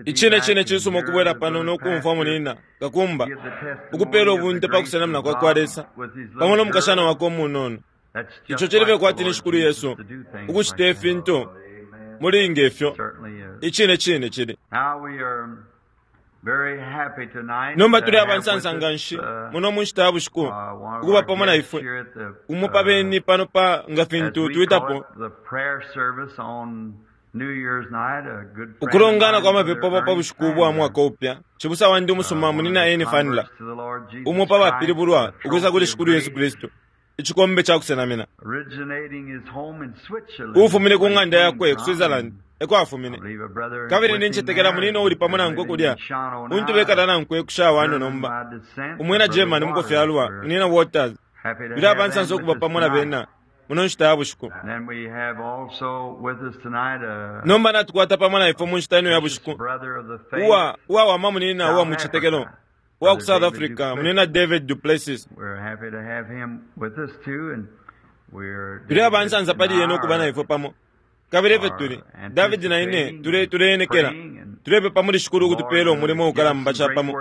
Icine cine cisuma ukubwela pano no kumfwa munina kakumba ukupeela ubunte pa kusenamina kwa kwa Lesa pamo no mukashana wakwe umunono. Ico cili fye kwati ni Shikulu Yesu ukucita ifintu muli nge fyo. Icine cine cili. Nomba tuli aba nsansa nga nshi muno mu nshita ya bushiku ukuba pamo na ifwe umo pa beni pano pa nga fintu twitapo ukulongana kwa mapepo pa bushiku bwa mwaka upya. Cibusa wandi umusuma munina Eni Fanila, umo pa bapilibulwa ukwisa kuli Shikulu Yesu Kristu, icikombe ca kusenamina, uufumine ku ng'anda yakwe ku Switzerland eko afumine. Kabili nincetekela munina uuli pamo nankwe kulya, untu bekala nankwe ku Shawano nomba, umwina Germany mukufyalwa, munina Waters. Tuli abansansa ukuba pamo na bena muno nshita ya bushiku. Nomba natukwata pamo na ifwe mu nshita ino ya bushiku uwa uwawama munina uwa mu citetekelo uwa ku South Africa, munina David duPlessis. Tuli abansansa pali yena ukuba na ifwe pamo. Kabili efyo tuli, David na ine, tule tuleenekela, tulepepa muli Shikulu ukutupeela umulimo ukalamba capamo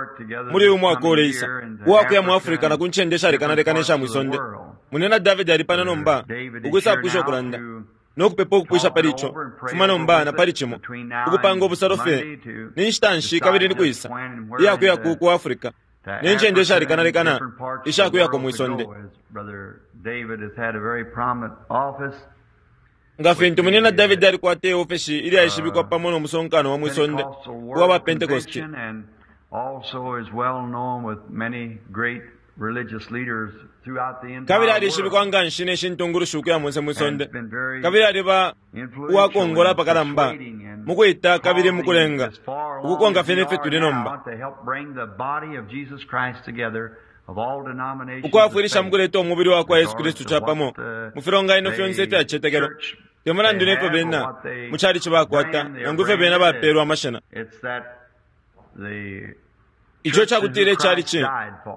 muli uyu mwaka uleisa, uwa kuya mu Africa na ku ncende ishalekanalekana isha mwi sonde. Munina David ali pano nomba, ukwisapwisha ukulanda, no kupepa ukupwisha pali ico, fuma nomba na pali cimo, ukupanga ubusalo fye ni nshita nshi kabili ni kwisa iya kuya ku ku Africa ne ncende ishalekanalekana isha kuyako mwi sonde. Nga fintu Munyina David alikwata iofeshi ilyaishibikwa pamo no musonkano wa mwi sonde uwa ba Pentekoste, kabili alishibikwa nga nshi ne shi ntungulushi ukuya monse mwi sonde, kabili aliba uwakongola apakalamba mu kwita kabili mu kulenga ukukonka fye ne fyo tuli nomba, ukwafwilisha mu kuleta umubili wa kwa Yesu Kristu capamo mu filonganino fyonse ifya cicetekelo, te mulandu ne fyo bena mu calici bakwata nangu ifyo bena bapeelwa amashina. Ico ca kutila icalici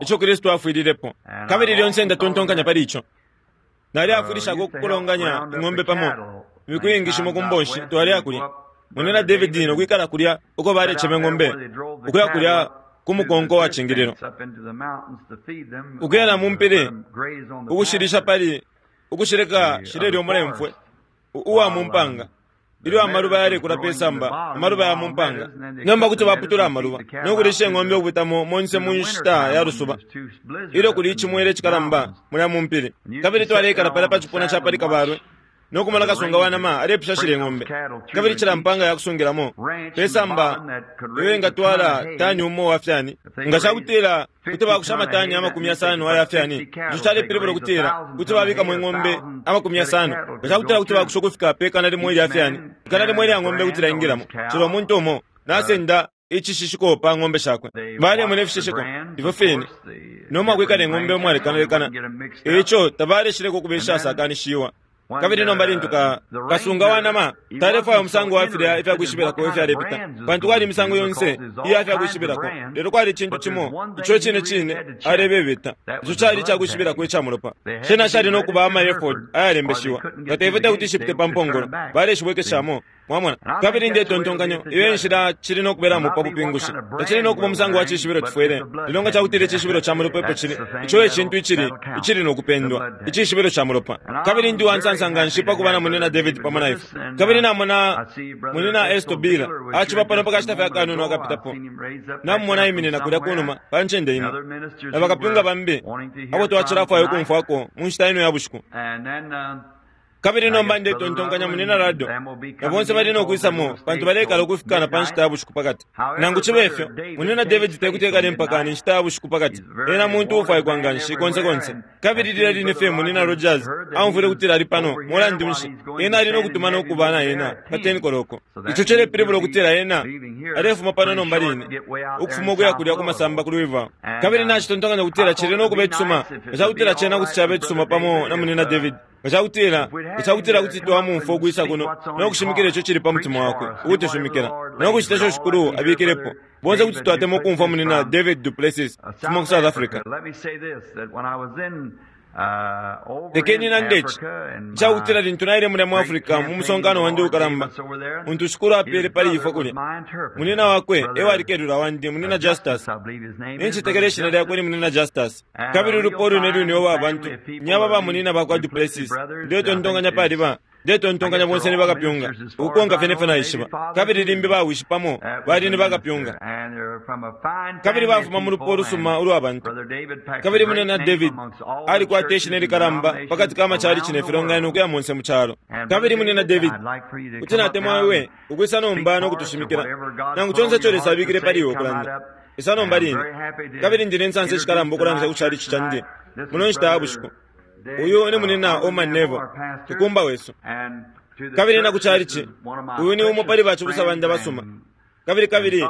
ico Kristu afwililepo, kabili lyonse ndatontonkanya pali ico. Naleafwilishako ukukolonganya ing'ombe pamo imiku iingi shimo ku mbonshi twaleya kulya. Munyina David no kwikala kulya uko balecema ing'ombe ukuya kulya ku mukonko wa cingililo, ukuya na mu mpili ukushilisha pali ukushileka shilelya umulemfwe uwa mu mpanga ilyo amaluba yalekula pe samba, amaluba ya mu mpanga. Nomba kuti baputula amaluba no kulisha ing'ombe ukupitamo monse mu nshita ya lusuba ilyo kuli icimwele icikalamba mulya mu mpili. Kabili twaleikala palya pa cipuna ca pali kabalwe no kumona kasunga wa nama alepisha shilya ing'ombe. Kabili cila mpanga ya kusungilamo pe samba iyo ingatwala tani umo wa fyani. Nga ca kutila kuti bakusha amatani 50 aya fyani, ico calepilibula ukutila kuti babikamo ing'ombe 50. Nga ca kutila kuti bakusha ukufika pe 100 ilya fyani, 100 ilya ng'ombe kuti lyaingilamo. Cila umuntu umo nasenda icishishiko pa ng'ombe shakwe. Balemona ifishishiko ifyo fine no mwakwikala ing'ombe umwalekanalekana, e ico tabaleshileko ukuba ishasakanishiwa. Kabili nomba lintu ka, kasunga wa nama talefwaya umusango wa filya ifya kwishibilako ifyalepita, pantu kwali imisango yonse iya fya kwishibilako, lelo kwali icintu cimo ico icine cine alebebeta, ico cali ica kwishibilako ica mulopa. Shena shali no kuba ama efod ayalembeshiwa, nga teifyo te kuti shipite pa mpongolo, baleshibwekeshamo. Mwamona? Kabili ndetontonkanya iyo e nshila cili no kubelamo pa bupingushi. Tacili no kuba umusango wa cishibilo tufwele, lelo nga cakutila icishibilo ca mulopa epo cili, ico e cintu icili, icili no kupendwa, icishibilo ca mulopa. Kabili ndi uwansansa nganshi pa kuba na Munyina David pamo na ifwe. Kabili namona Munyina Estle Beeler aciba pano pa kashita fye akanono akapitapo. Namumona aiminina kulya kunuma pa ncende imo, na bakapyunga bambi abo twacilafwaya ukumfwako mu nshita ino ya bushiku. Kabili nomba ndetontonkanya Munyina Ruddell na bonse bali no kwisamo, pantu baleikala ukufika na pa nshita ya bushiku pakati. Nangu cibe fyo, Munyina David te kuti ekale mpaka ni nshita ya bushiku pakati. Ena muntu uufwaikwa nga nshi konse konse. Kabili lilya line fye Munyina Rogers aumfwile ukutila ali pano, mulandu nshi, ena ali no kutuma no kuba na ena pa 10 koloko. Ico cilepilibula ukutila ena alefuma pano nomba line, ukufuma ukuya kulya ku masamba ku Louisville. Kabili nacitontonkanya ukutila cili no kuba icisuma nga ca kutila cena kuti caba icisuma pamo na Munyina David. Nga ca kutila, nga ca kutila kuti twamumfwa ukwisa kuno no kushimikila ico cili pa mutima wakwe, ukutushimikila, no kucita ico Shikulu abikilepo, bonse kuti twatemwa ukumfwa Munyina David duPlessis ukufuma ku South Africa. Lekeni nande ici icakutila lintu naile mulya mu Africa mu musonkano wandi ukalamba untu Shikulu apele pali ifwe kulya, munina wakwe ewali kelula wandi, munina Justus. Nincetekela ishina lyakwe ni munina Justus. Kabili ulupwa ulwine lwine uwa bantu ni aba ba munina bakwa Duplessis. Ndetontonkanya pali ba Ndetontonkanya bonse ni bakapyunga, ukukonka fye nefyo naishiba. Kabili limbi bawishi pamo bali ni bakapyunga. Kabili bafuma mu lupwa ulusuma ulwa bantu. Kabili munina David alikwata ishina ilikalamba pakati ka macalici ne filonganino ukuya monse mu calo. Kabili munina David, kuti natemwa iwe ukwisa nomba no kutushimikila, nangu conse ico Lesa abikile pali iwe ukulanda. Isa nomba line. Kabili ndi ne nsansa ishikalamba ukulangisha ku calici candi muno nshita ya bushiku. Uyu ni munina Orman Neville, tukumba wesu. Kabili na ku calici, uyu ni umo pali bacibusa bandi abasuma. Kabili kabili,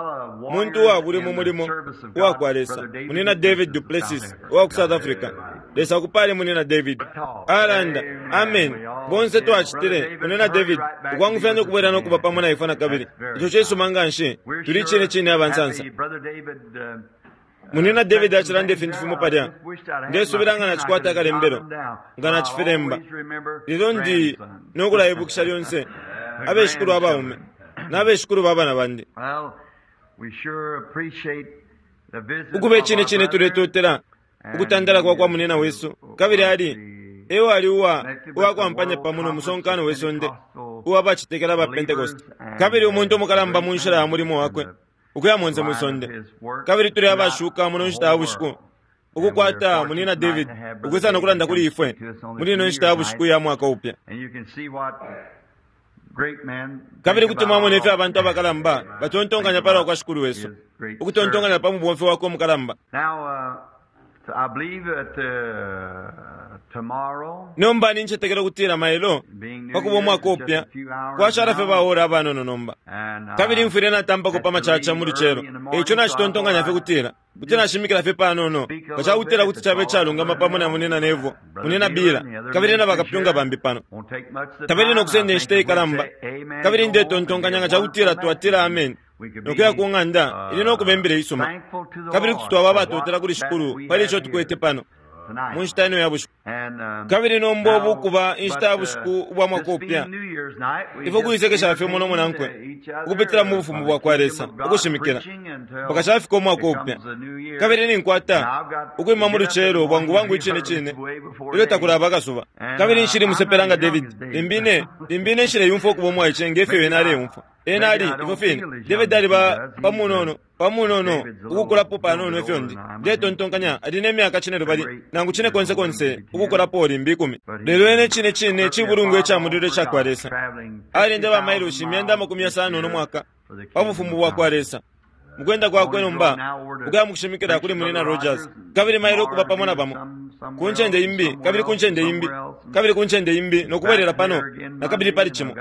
muntu uwabuli mu mulimo uwa kwa Lesa, munina David Duplessis uwa ku South Africa. Lesa akupale munina David. Alanda, amen. Bonse twacitile, munina David, ukwangufyanya ukubwela no kuba pamo na ifwe na kabili. Ico cisuma nganshi, tuli cine cine abansansa. Munina David acilanda ifintu fimo palya. Ndesubila nga nacikwata akalembelo, nga nacifilemba. Lelo ndi no kulaibukisha lyonse abeshikulu abaume na beshikulu ba bana bandi. Ukuba icine cine tuletotela ukutandala kwa kwa munina wesu, kabili ali e wali uwa uwakwampanya pamo no musonkano we sonde uwa bacetekela ba Pentecost, kabili umuntu umukalamba mu nshila ya mulimo wakwe ukuya monse mwi sonde. Kabili tuli abashuka muno nshita ya bushiku ukukwata munina David ukwisa no kulanda kuli ifwe muli ino nshita ya bushiku ya mwaka upya. Kabili kuti mwamona ifyo abantu abakalamba batontonkanya palwa kwa Shikulu wesu, ukutontonkanya pa mubomfi wakwe umukalamba. Nomba nincetekela ukutila mailo pakuba umwaka upya kwashala fye baora abanono nomba. Kabili mfwile natampako pa macaca mu lucelo, eico nacitontonkanya fye kutila kuti nashimikila fye panono nga cakutila kuti cabe icalungama pamo na munina Nevo, munina Bila, kabili na bakapyunga bambi pano. Tabali no kusenda inshita ikalamba. Kabili ndetontonkanya nga cakutila twatila amen nokuya ku ng'anda ili no kubembela isuma. Kabili kuti twaba abatotela kuli Shikulu pali ico tukwete pano mu nshita ino ya bushiku. Kabili nomba ubu kuba inshita ya bushiku ubwa mwaka upya, ifwe kuisekesha fye umo no munankwe ukupitila mu bufumu bwa kwa Lesa, ukushimikila mpaka cafika umwaka upya. Kabili ninkwata ukwima mu lucelo bwangu bwangu icine cine ilyo takulaba akasuba. Kabili nshili musepela nga David, limbi ine nshileyumfwa ukuba umwaice nge fyo ena aleumfwa. Ena ali ifyo fine. David ali pamunono pamunono ukukulapo panono ifyo ndi. Ndetontonkanya ali ne myaka cine lubali nangu cine konse konse ukukulapo limbi 10. Lelo ene cine cine cibulungu ica mulilo ica kwa Lesa. Alenda ba mailoshi 550 no mwaka pa bufumu bwa kwa Lesa. Mukwenda kwakwe nomba ukuya mukushimikila kuli munina Rogers, kabili mailo ukuba pamo na bamo ku ncende imbi, kabili ku ncende imbi, kabili ku ncende imbi, no kubwelela pano na kabili pali cimo.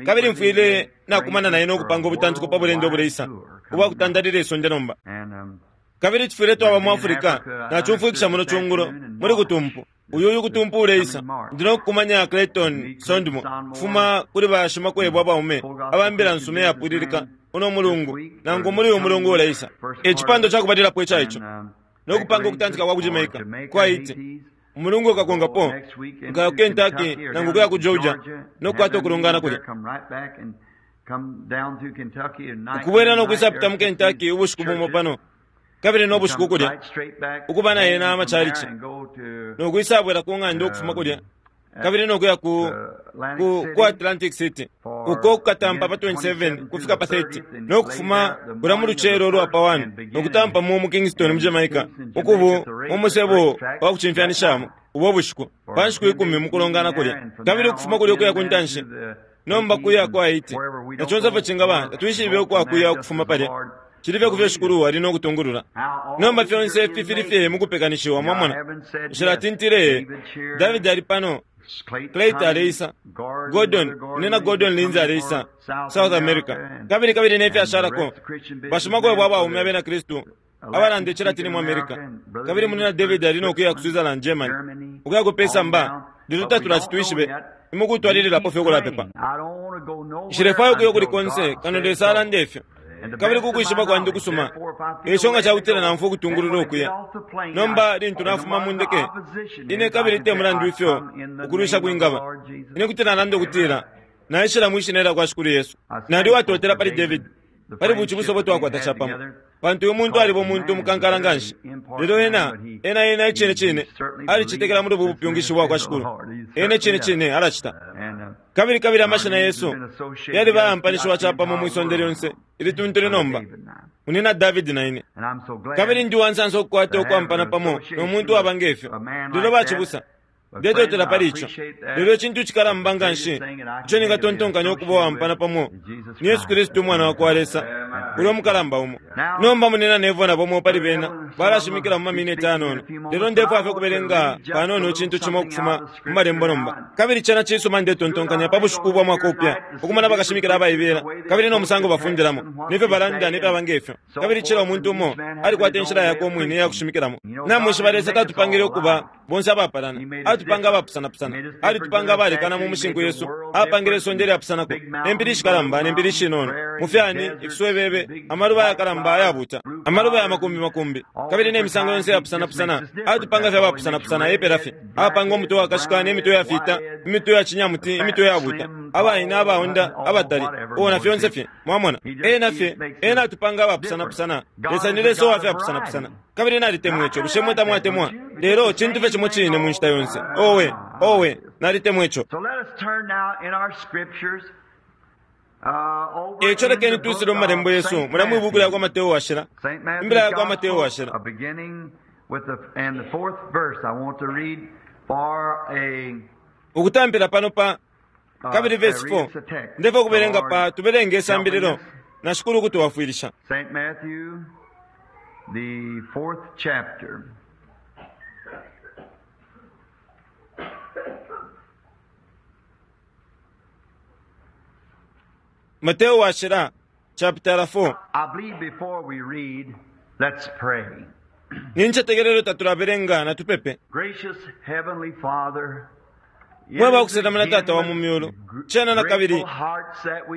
Kabili mfwile nakumana naye no kupanga ubutantiko pa bulendo obuleisa ubwa kutandalila isonde nomba. Kabili tufwile twaba mu Africa nacumfwikisha muno cungulo muli kutumpu uyu uyu kutumpu uleisa. Ndi no kukumanya Clayton Sondmo kufuma kuli bashimakwebo abaume abambila nsume yapwililika uno mulungu nangu muli uyu mulungu uleisa. Ecipando cakubalilapo ica ico no kupanga ukutantika kwa ku Jamaica kwa Haiti. Umulungu ukakongapo nkaya ku Kentucky nangu kuya ku Georgia no kukwata ukulongana kulya. Ukubwela no kwisapita mu Kentucky ubushiku bumo pano kabili no bushiku kulya ukuba na yena amacalici no kwisabwela ku ng'anda ukufuma kulya kabili no kuya ku ku Atlantic City uko kukatampa pa 27 kufika pa 30 no kufuma kulya mu lucelo ulwa pa 1 no kutampa mu Kingston mu Jamaica ukubu mu musebo wa kucimfyanishamo ubo bushiku pa nshiku 10 mukulongana kulya kabili ukufuma kulya ukuya ku ntanshi nomba kuya kwa Haiti na conse fye cingaba tatwishibe ukwakuya ukufuma palya. Cili fye kufyo Shikulu ali no kutungulula. Nomba fyonse ifi fili fye mukupekanishiwa, mwamona. Nshilatintile, David ali pano, Clayton aleisa, Gordon, nina Gordon Lindsay aleisa, South America. Kabili kabili ne fyashalako, bashimakwebo abaume abena Kristu abalanda icilatini mu America. Kabili munina David ali no kuya ku Switzerland, Germany, ukuya ku Pesamba, lelo tatulati imukutwalililapo fye ukulapepa. Nshilefwaya ukuya kuli konse kano Lesa alanda ifyo. Kabili kukwishiba kwandi ukusuma, eico nga cakutila naumfwa ukutungulula ukuya. Nomba lintu nafuma mu ndeke, ine kabili te mulandu ifyo ukulwisha kwingaba, ine kuti nalanda ukutila naishila mwi Shina lyakwa Shikulu Yesu. Nali uwatotela pali David, pali bucibusa ubo twakwata capamo, pantu uyu muntu aliba umuntu umukankala nganshi. Lelo ena, ena, ena icine cine alicetekela muli ubu bupyungishi bwakwa Shikulu. Ena icine cine alacita. Kabili, kabili amashina yesu yaliba ayampanishiwa capamo mwi sonde lyonse ilituntulu nomba, Munyina David na ine. Kabili ndi uwansansa ukukwata ukwampana pamo no muntu uwaba ngefyo. Lelo bacibusa, ndetotela pali ico. Lelo icintu icikalamba nganshi ico ningatontonkanya ukuba uwaampana pamo ni Yesu Kristu, Umwana wakwa Lesa, ulya umukalamba umo. Nomba Munyina Neville na bamo pali bena balashimikila mu mamineti ayanono, lelo ndefwaya fye ukubelenga panono icintu cimo ukufuma mu Malembo nomba. Kabili cena cisuma, ndetontonkanya, pa bushiku bwa mwaka upya, ukumona bakashimikila abaibela, kabili no musango bafundilamo, ne fyo balanda, ne fyaba nge fyo. Kabili cila umuntu umo alikwata inshila yakwe umwine iya kushimikilamo. Namwishiba, Lesa tatupangile ukuba bonse abapalana. Alitupanga abapusanapusana. Alitupanga abalekana mu mushinku yesu. Apangile isonde ilyapusanako, ne mpili ishikalamba ne mpili ishinono, mu fyani, ifiswebebe, amaluba ayakalamba ayabuta, amaluba ya makumbi makumbi, kabili ne misango yonse iyapusanapusana. Alitupanga fye abapusanapusana, epela fye. Apanga umutwe wakashika ne mitwe yafiita, imitwe ya cinyamuti, imitwe yabuta, abaina, abaonda, abatali, oh, na fyonse fye. Mwamona? Ena fye, Ena atupanga abapusanapusana. Lesa ni Lesa uwa fyapusanapusana. Kabili nalitemwa ico. Bushe imwe tamwatemwa? Lelo cintu fye cimo cine mu nshita yonse. Owe, owe, nalitemwa ico. Eico lekeni twisile mu Malembo yesu, mulya mwi Buku lyakwa Mateo Washila, Imbila yakwa Mateo Washila. Ukutampila pano pa, kabili verse 4, ndefwaya ukubelenga pa, tubelenge isambililo, na Shikulu ukutwafwilisha. St. Matthew, the fourth chapter. Mateo Washila, chapitala 4. I believe before we read, let's pray. Nincetekela ilyo tatulabelenga, natupepe. Gracious Heavenly Father, Mwe bakusenamina Tata wa mu myulu, cena na kabili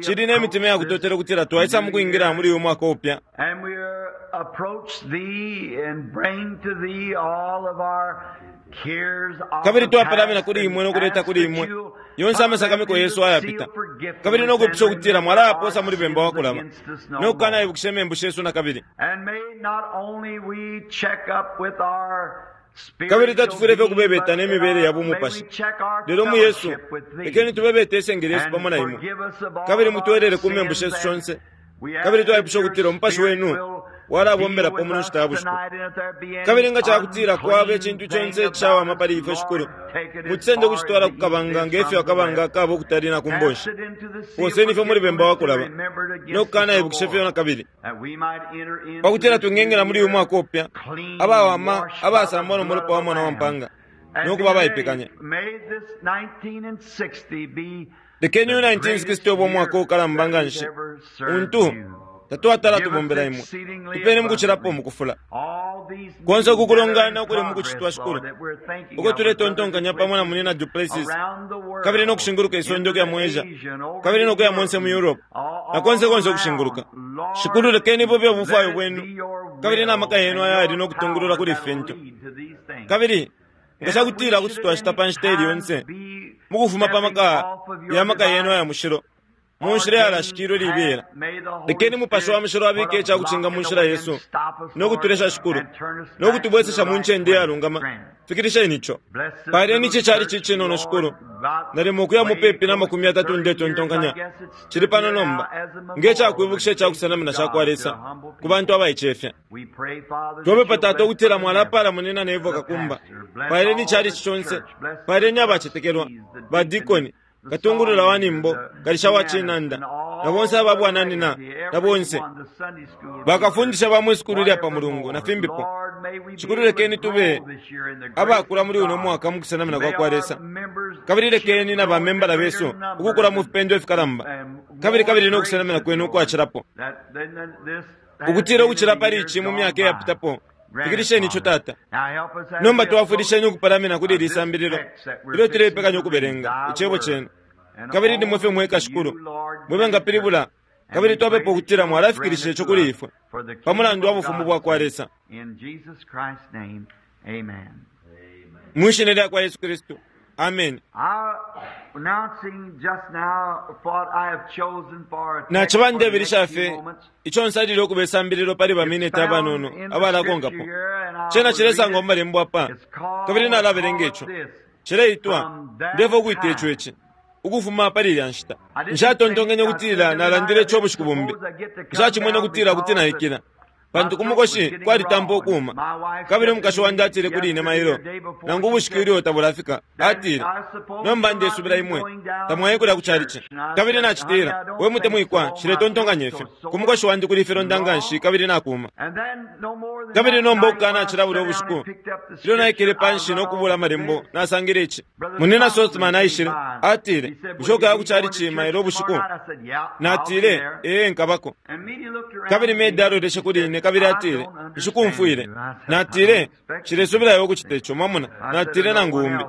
cili ne mitima ya kutotela ukutila twaisa mu kwingila muli uyu mwaka upya. And we approach thee and bring to thee all of our cares of Kabili the twapalamina past kuli and imwe no kuleta ask kuli that imwe you'll yonse put amasakamiko them yesu into the ayapita. sea of forgetfulness Kabili no kwipusha and ukutila remember mwalayaposa our muli bemba wa sins kulaba against us no no more. kukanaibukisha imembu shesu na kabili. And may not only we check up with our Kabili spiritual tatufwile fye being, ukubebeta but ne mibele ya may we bumupashi. check our Lelo mu Yesu, fellowship with thee. lekeni tubebete isenge lyesu And pamo na imwe. forgive us of all Kabili of our mutwelele ku membu sins shesu and shonse. we ask Kabili that twaipusha your ukutila umupashi Spirit wenu will walabombela deal po with muno us nshita ya bushiku. tonight, and if there be any Kabili nga cakutila kwaba unclean icintu thing conse about icishawama us, pali ifwe, Shikulu, Lord, take it as mutusende far ukucitwala as ku the kabanga east nge is fyo from the akabanga west. kaba ukutali na ku Cast mbonshi. it into the sea of Poseni fye muli bemba wa forgetfulness to kulaba, remember it no against us kukana no ibukisha fye more. na kabili. That we might enter into Pakutila this twingengela new muli uyu year mwaka upya, clean, abawama, washed by the abasambwa no blood mulopa wa of the Mwana wa Lamb. Mpanga, And no be kuba ready. abaipekanya. May this 1960 be Lekeni the uyu greatest 1960 ube umwaka year uukalamba that nga we've nshi, ever served untu you. tatwatala Give us tubombela imwe. exceedingly Tupeni mukucilapo abundantly mukufula. all these Konse meetings that uku are in kulongana ukuli progress, mukucitwa, Shikulu, Lord, that we're thinking uko of with Brother tuletontonkanya pamo na Duplessis Munyina Duplessis, around the kabili no world, kushinguluka isonde into ukuya the mu Asia, Asia and over kabili to no kuya Europe monse mu and Europe, all, na konse all konse around. ukushinguluka. Shikulu, Lord, lekeni bube ubufwayo let it bwenu, be your kabili na maka will yenu and ayali your no kutungulula power kuli that will ifintu. lead to these things. Kabili nga And if we cakutila kuti should at twacita any pa nshita ili time yonse, be mukufuma pa stepping maka off of your ya maka yenu divine aya mushilo, mu nshila yalashikilwe ordained libela, path, may the Holy lekeni Mupashi wa Spirit Mushilo put abike a icakucinga block mu in the nshila way and yesu, stop us, no Lord, kutulesha Shikulu, and turn us no back to the kutubwesesha mu right ncende place. iyalungama. Grant. Fikilisheni ico. Bless this Paleni little ici cali church, cicinono, Lord, Shikulu. about Nalimo ukuya way mupepi na close makumi to yatatu 30 years. I ndetontonkanya. guess it's Cili stood pano here now nomba, as a nge memorial cakwibukisha of the ica kusenamina faith of ca kwa God to Lesa a humble ku bantu people. abaicefya. We pray, Father, that Twapepa you'll Tata bless ukutila Brother mwalapala Neville, Munyina Neville the Kakumba. pastor. Bless Paleni all icali the conse. church. Bless the Paleni abacetekelwa, trustees, the deacons, badikoni, the katungulula song wa leader, nimbo, the kalisha wa pianist, cinanda, and na bonse all aba the bwananina, laity, na bonse. everyone, the Sunday school teachers, Bakafundisha ba mwi sukulu lya pa whatever Mulungu, na more. fimbipo. Lord, may we be Shikulu able to lekeni tube grow this year in the grace abakula of muli uno God. mwaka mu kusenamina May kwa kwa our Lesa. members Kabili ship lekeni na grow into bamembala greater besu numbers ukukula mu and, fipendo ifikalamba. and Kabili more kabili no kusenamina graces, kwenu Lord, ukwacilapo. that than this has Ukutila been in ukucila the pali years ici mu gone myaka by. iyapitapo. Grant it, Fikilisheni ico Father. Tata. Now help us as Nomba we approach twafwilisheni ukupalamina kuli ili this sambililo text that we're ilyo fixing tulepekanya to read, ukubelenga thy icebo word. cenu. And Kabili nimwe fye only mweka you, Shikulu, Lord, mwe may bengapilibula interpret. Kabili twapepa ukutila mwalafikilisha ico kuli ifwe pa mulandu wa bufumu bwa kwa Lesa. Mwishina lya kwa Yesu Kristu. Amen. Naciba ndebilisha fye ico nsalile ukuba isambililo pali baminiti abanono abalakonkapo. Cena cilesangwa mu malembo apa, kabili nalabelenga ico. Cileitwa, ndefwa ukwita ico ici, ukufuma pali ilya nshita. Nshatontonkenye ukutila nalandile ico ubushiku bumbi. Nshacimwene ukutila kuti naikila, pantu ku mukoshi kwalitampa ukuuma. Kabili umukashi wandi atile kuli ine mailo, nangu ubushiku ilyo tabulafika, atile, nomba ndesubila imwe tamwaye kulya ku chalichi. Kabili nacitila, we mutemwikwa, nshiletontonkanya ifyo. Ku mukoshi wandi kuli ifilonda nganshi kabili nakuuma. Kabili nomba ukukanacila bulya ubushiku, ilyo naikele panshi no kubula amalembo, nasangile ici. Munina Sothmann aishile, atile, bushe ukaya ku chalichi mailo ubushiku? Natile, ee, nkabako. Kabili Meda aloleshe kuli ine kabili atile, nshikumfwile. Natile, nshilesubila iwe ukucita ico, mwamona. Natile, nangu umbi.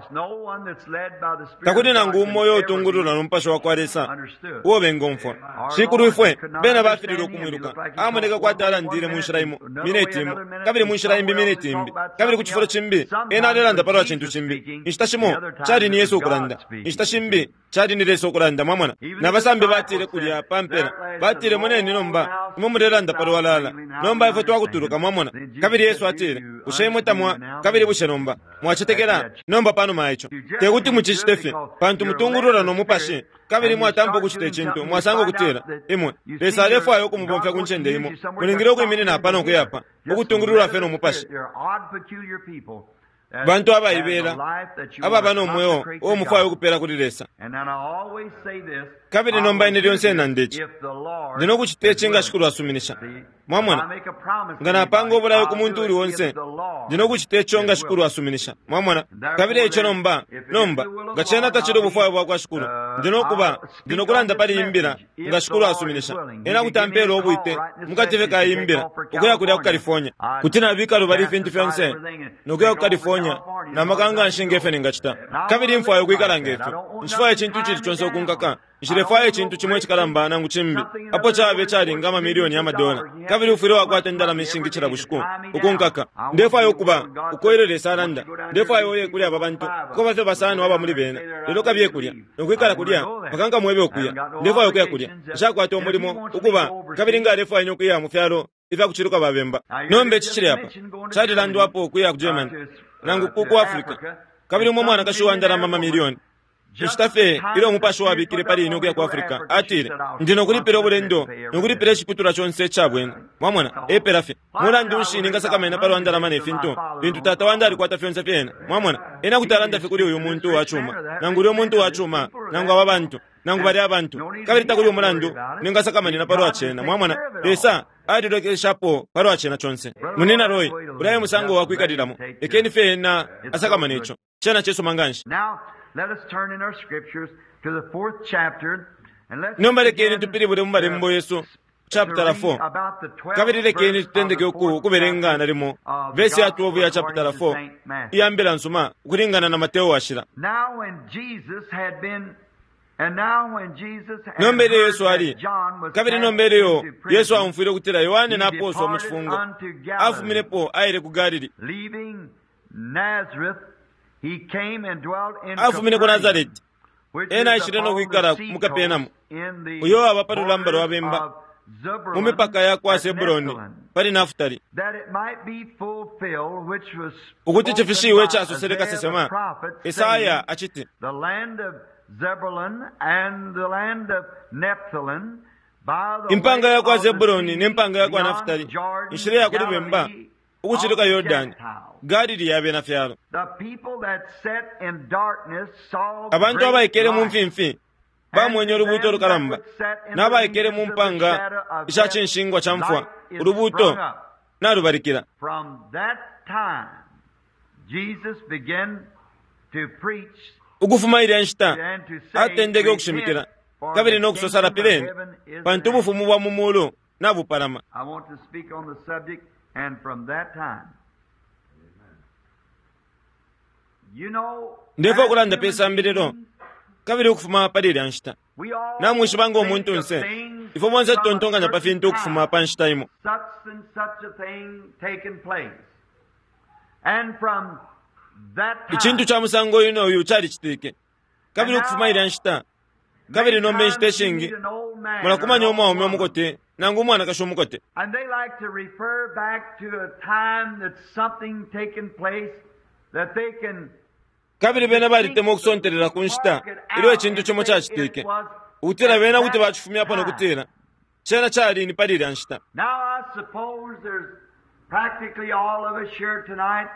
Takuli nangu umo uyo utungululwa no mupashi wa kwa Lesa uo bengomfwa. Shikulu ifwe bena bafililwe ukumwiluka. Amoneka kwati alandile mu nshila imo mineti imo, kabili mu nshila imbi mineti imbi, kabili ku cifulo cimbi ena alelanda palwa cintu cimbi. Inshita shimo cali ni Yesu ukulanda, inshita shimbi cali ni Lesa ukulanda, mwamona. Na basambi batile kulya pa mpela, batile, moneni nomba imwe mulelanda palwalala, nomba ifwe twakutuluka, mwamona. Kabili Yesu atile, bushe imwe tamwa, kabili bushe nomba mwacetekela? Nomba panuma ico tekuti mucicite fye, pantu mutungulula no mupashi, kabili mwatampa ukucita icintu, mwasanga ukutila imwe Lesa alefwaya ukumubomfya ku ncende imo, mulingile ukwiminina apa no kuyapa, ukutungululwa fye no mupashi. Bantu abaibela ababa no mweo uo mufwaya ukupela kuli Lesa. Kabili nomba ine lyonse nanda ici, ndi no kucita ici nga Shikulu asuminisha. Mwamona, nga napanga ubulayo ku muntu uli onse, ndi no kucita ico nga Shikulu asuminisha. Mwamona, kabili ico nomba, nomba nga cena tacili ubufwayo bwa kwa Shikulu, ndi no kuba, ndi no kulanda pali imbila nga Shikulu asuminisha. Ena kuti ampela ubwite mukati fye ka imbila ukuya kulya ku California. Kuti nabika lubali ifintu fyonse no kuya ku California na maka nganshi ngefyo ningacita. Kabili mfwaya ukwikala ngefyo. Nshifwaya icintu icili conse ukunkaka. Nshilefwaya icintu cimo icikalamba nangu cimbi, apo cabe calinga amamilioni ya madola, kabili ufwile wakwata indalama ishingi cila bushiku ukunkaka. Ndefwaya ukuba uko ilyo Lesa alanda. Ndefwaya uye kuli aba bantu, kuko bafye basano aba muli bena, lelo kabiye kulya nokwikala kulya mpaka nkamwebe ukuya. Ndefwaya ukuya kulya, nshakwata umulimo ukuba, kabili nga alefwaya ine ukuya mu fyalo ifyakuciluka babemba. Nomba ici cili apa, calilandwapo ukuya ku Germany nangu ku Africa, kabili umwe mwanakashi wa ndalama amamilioni. Inshita fye ilyo umupashi wabikile pali ine ukuya ku Africa, atile, ndi nokulipila ubulendo nokulipila iciputulwa conse ica bwene. Mwamona, epela fye. Mulandu nshi ningasakamana palwa ndalama ne fintu, lintu tata wandi alikwata fyonse fyena? Mwamona, ena kuti alanda fye kuli uyu muntu wa cuma, nangu ulya umuntu wa cuma, nangu aba bantu, nangu balya abantu, kabili takuli umulandu ningasakamanina palwa cena. Mwamona, Lesa alilolekeshapo palwa cena conse. Munina Roy, ulya e musango wa kwikalilamo. Lekeni fye ena asakamane ico. Cena cisuma nganshi. Nomba lekeni tupilibule mu malembo yesu chapter 4, kabili lekeni tutendeke ukubelenga nalimo vesi ya 12 ya chapter 4 iya mbila nsuma ukulingana na Mateo washila. Nomba ilyo Yesu ali, kabili nomba ilyo Yesu aumfwile ukutila Yohane napooswa mu cifungo, afuminepo aile ku Galili. Afumine ku Nazareti, ena aishile no kwikala mu Kapenamu, uyo aba pa lulamba lwa bemba, mu mipaka ya kwa Sebuloni pali Naftali, ukuti cifishiwe icasosele kasesema Esaya aciti, impanga ya kwa Zebuloni ne mpanga ya kwa Naftali, inshila ya kuli bemba ukuciluka Yordani, Galili ya bena fyalo. Abantu abaikele mu mfimfi bamwenye ulubuuto lukalamba, n'abaikele mu mpanga isha cinshingwa ca mfwa, ulubuuto nalubalikila. Ukufuma ilya nshita atendeke ukushimikila kabili no kusosa, lapileni, pantu ubufumu bwa mu mulu nabupalama. Ndefwaya ukulanda pe sambililo kabili ukufuma pali ilya nshita. Namwishiba ngo muntunse, ifwe bonse tutontonkanya pa fintu ukufuma pa nshita imo. Icintu ca musango uyu no uyu calicitike. Kabili ukufuma ilya nshita, kabili nomba inshita ishingi, mulakumanya umwaume umukote nangu umwanakashi umukote. And they like to refer back to a time that something taken place that they can Kabili bena balitemwa ukusontelela ku nshita ilyo icintu cimo cacitike, ukutila bena kuti bacifumyapo no kutila cena cali ni pali ilya nshita. Now I suppose there's practically all of us here tonight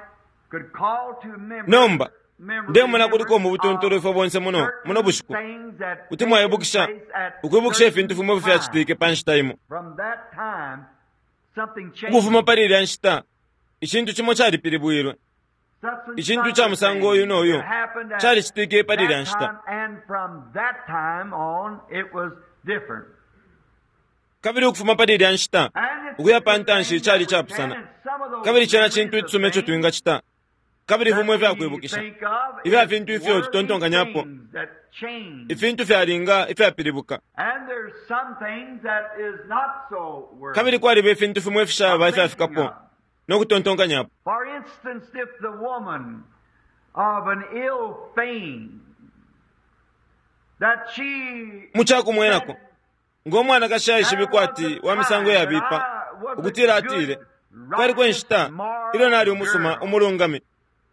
could call to memory Nomba ndemona kuliko mu butuntulu ifwe bonse muno muno bushiku kuti mwaibukisha ukwibukisha ifintu fimo ifyacitike pa nshita imo. From that time something changed. Ukufuma pali ilya nshita, icintu cimo calipilibwilwe. Such and Icintu such ca a musango thing uyu no uyu that happened at calicitike pali ilya that nshita. time, and from that time on it was different. Kabili ukufuma pali ilya nshita And it's ukuya pa the ntanshi thing cali that we can, capusana. and some of those Kabili cena memories cintu of icisuma ico things twingacita. Kabili that fimo we ifyakwibukisha think of ifya is fintu ifyo worthy tutontonkanyapo, things that change. ifintu fyalinga ifyapilibuka. And there's some things that is not so worthy. Kabili kwaliba ifintu fimo ifishaba of thinking ifyafikapo of. no kutontonkanyapo. For instance, if the woman of an ill fame that she Mu cakumwenako, said, ngo mwanakashi There aishibikwa was ati a wa misango time that yabipa, I was a ukutila good, atile, kwaliko righteous, inshita ilyo moral nali umusuma girl. umulungami,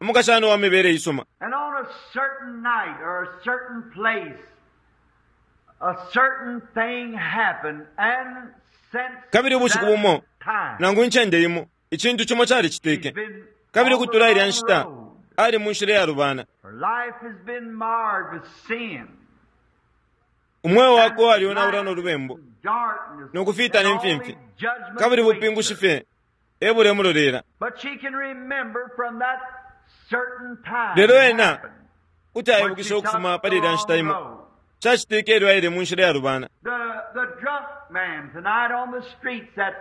umukashana wa mibele isuma. And on a certain night or a certain place, a certain thing happened, and since Kabili ubushiku that bumo, time, nangu incende imo, icintu cimo she's calicitike. been Kabili on the ukutula ilya wrong nshita, road. ali mu nshila iyalubana. Her life has been marred with sin Umweo wakwe and walionaula black no lubembu, darkness no kufiita and ne only mfimfi. judgment Kabili waits bupingushi her. fye ebulemulolela. But she can remember from that certain time Lelo it ena happened kuti when she aibukisha took ukufuma the pali ilya wrong nshita imo. road. Cacitike ilyo aile mu nshila iyalubana. The drunk man tonight on the streets that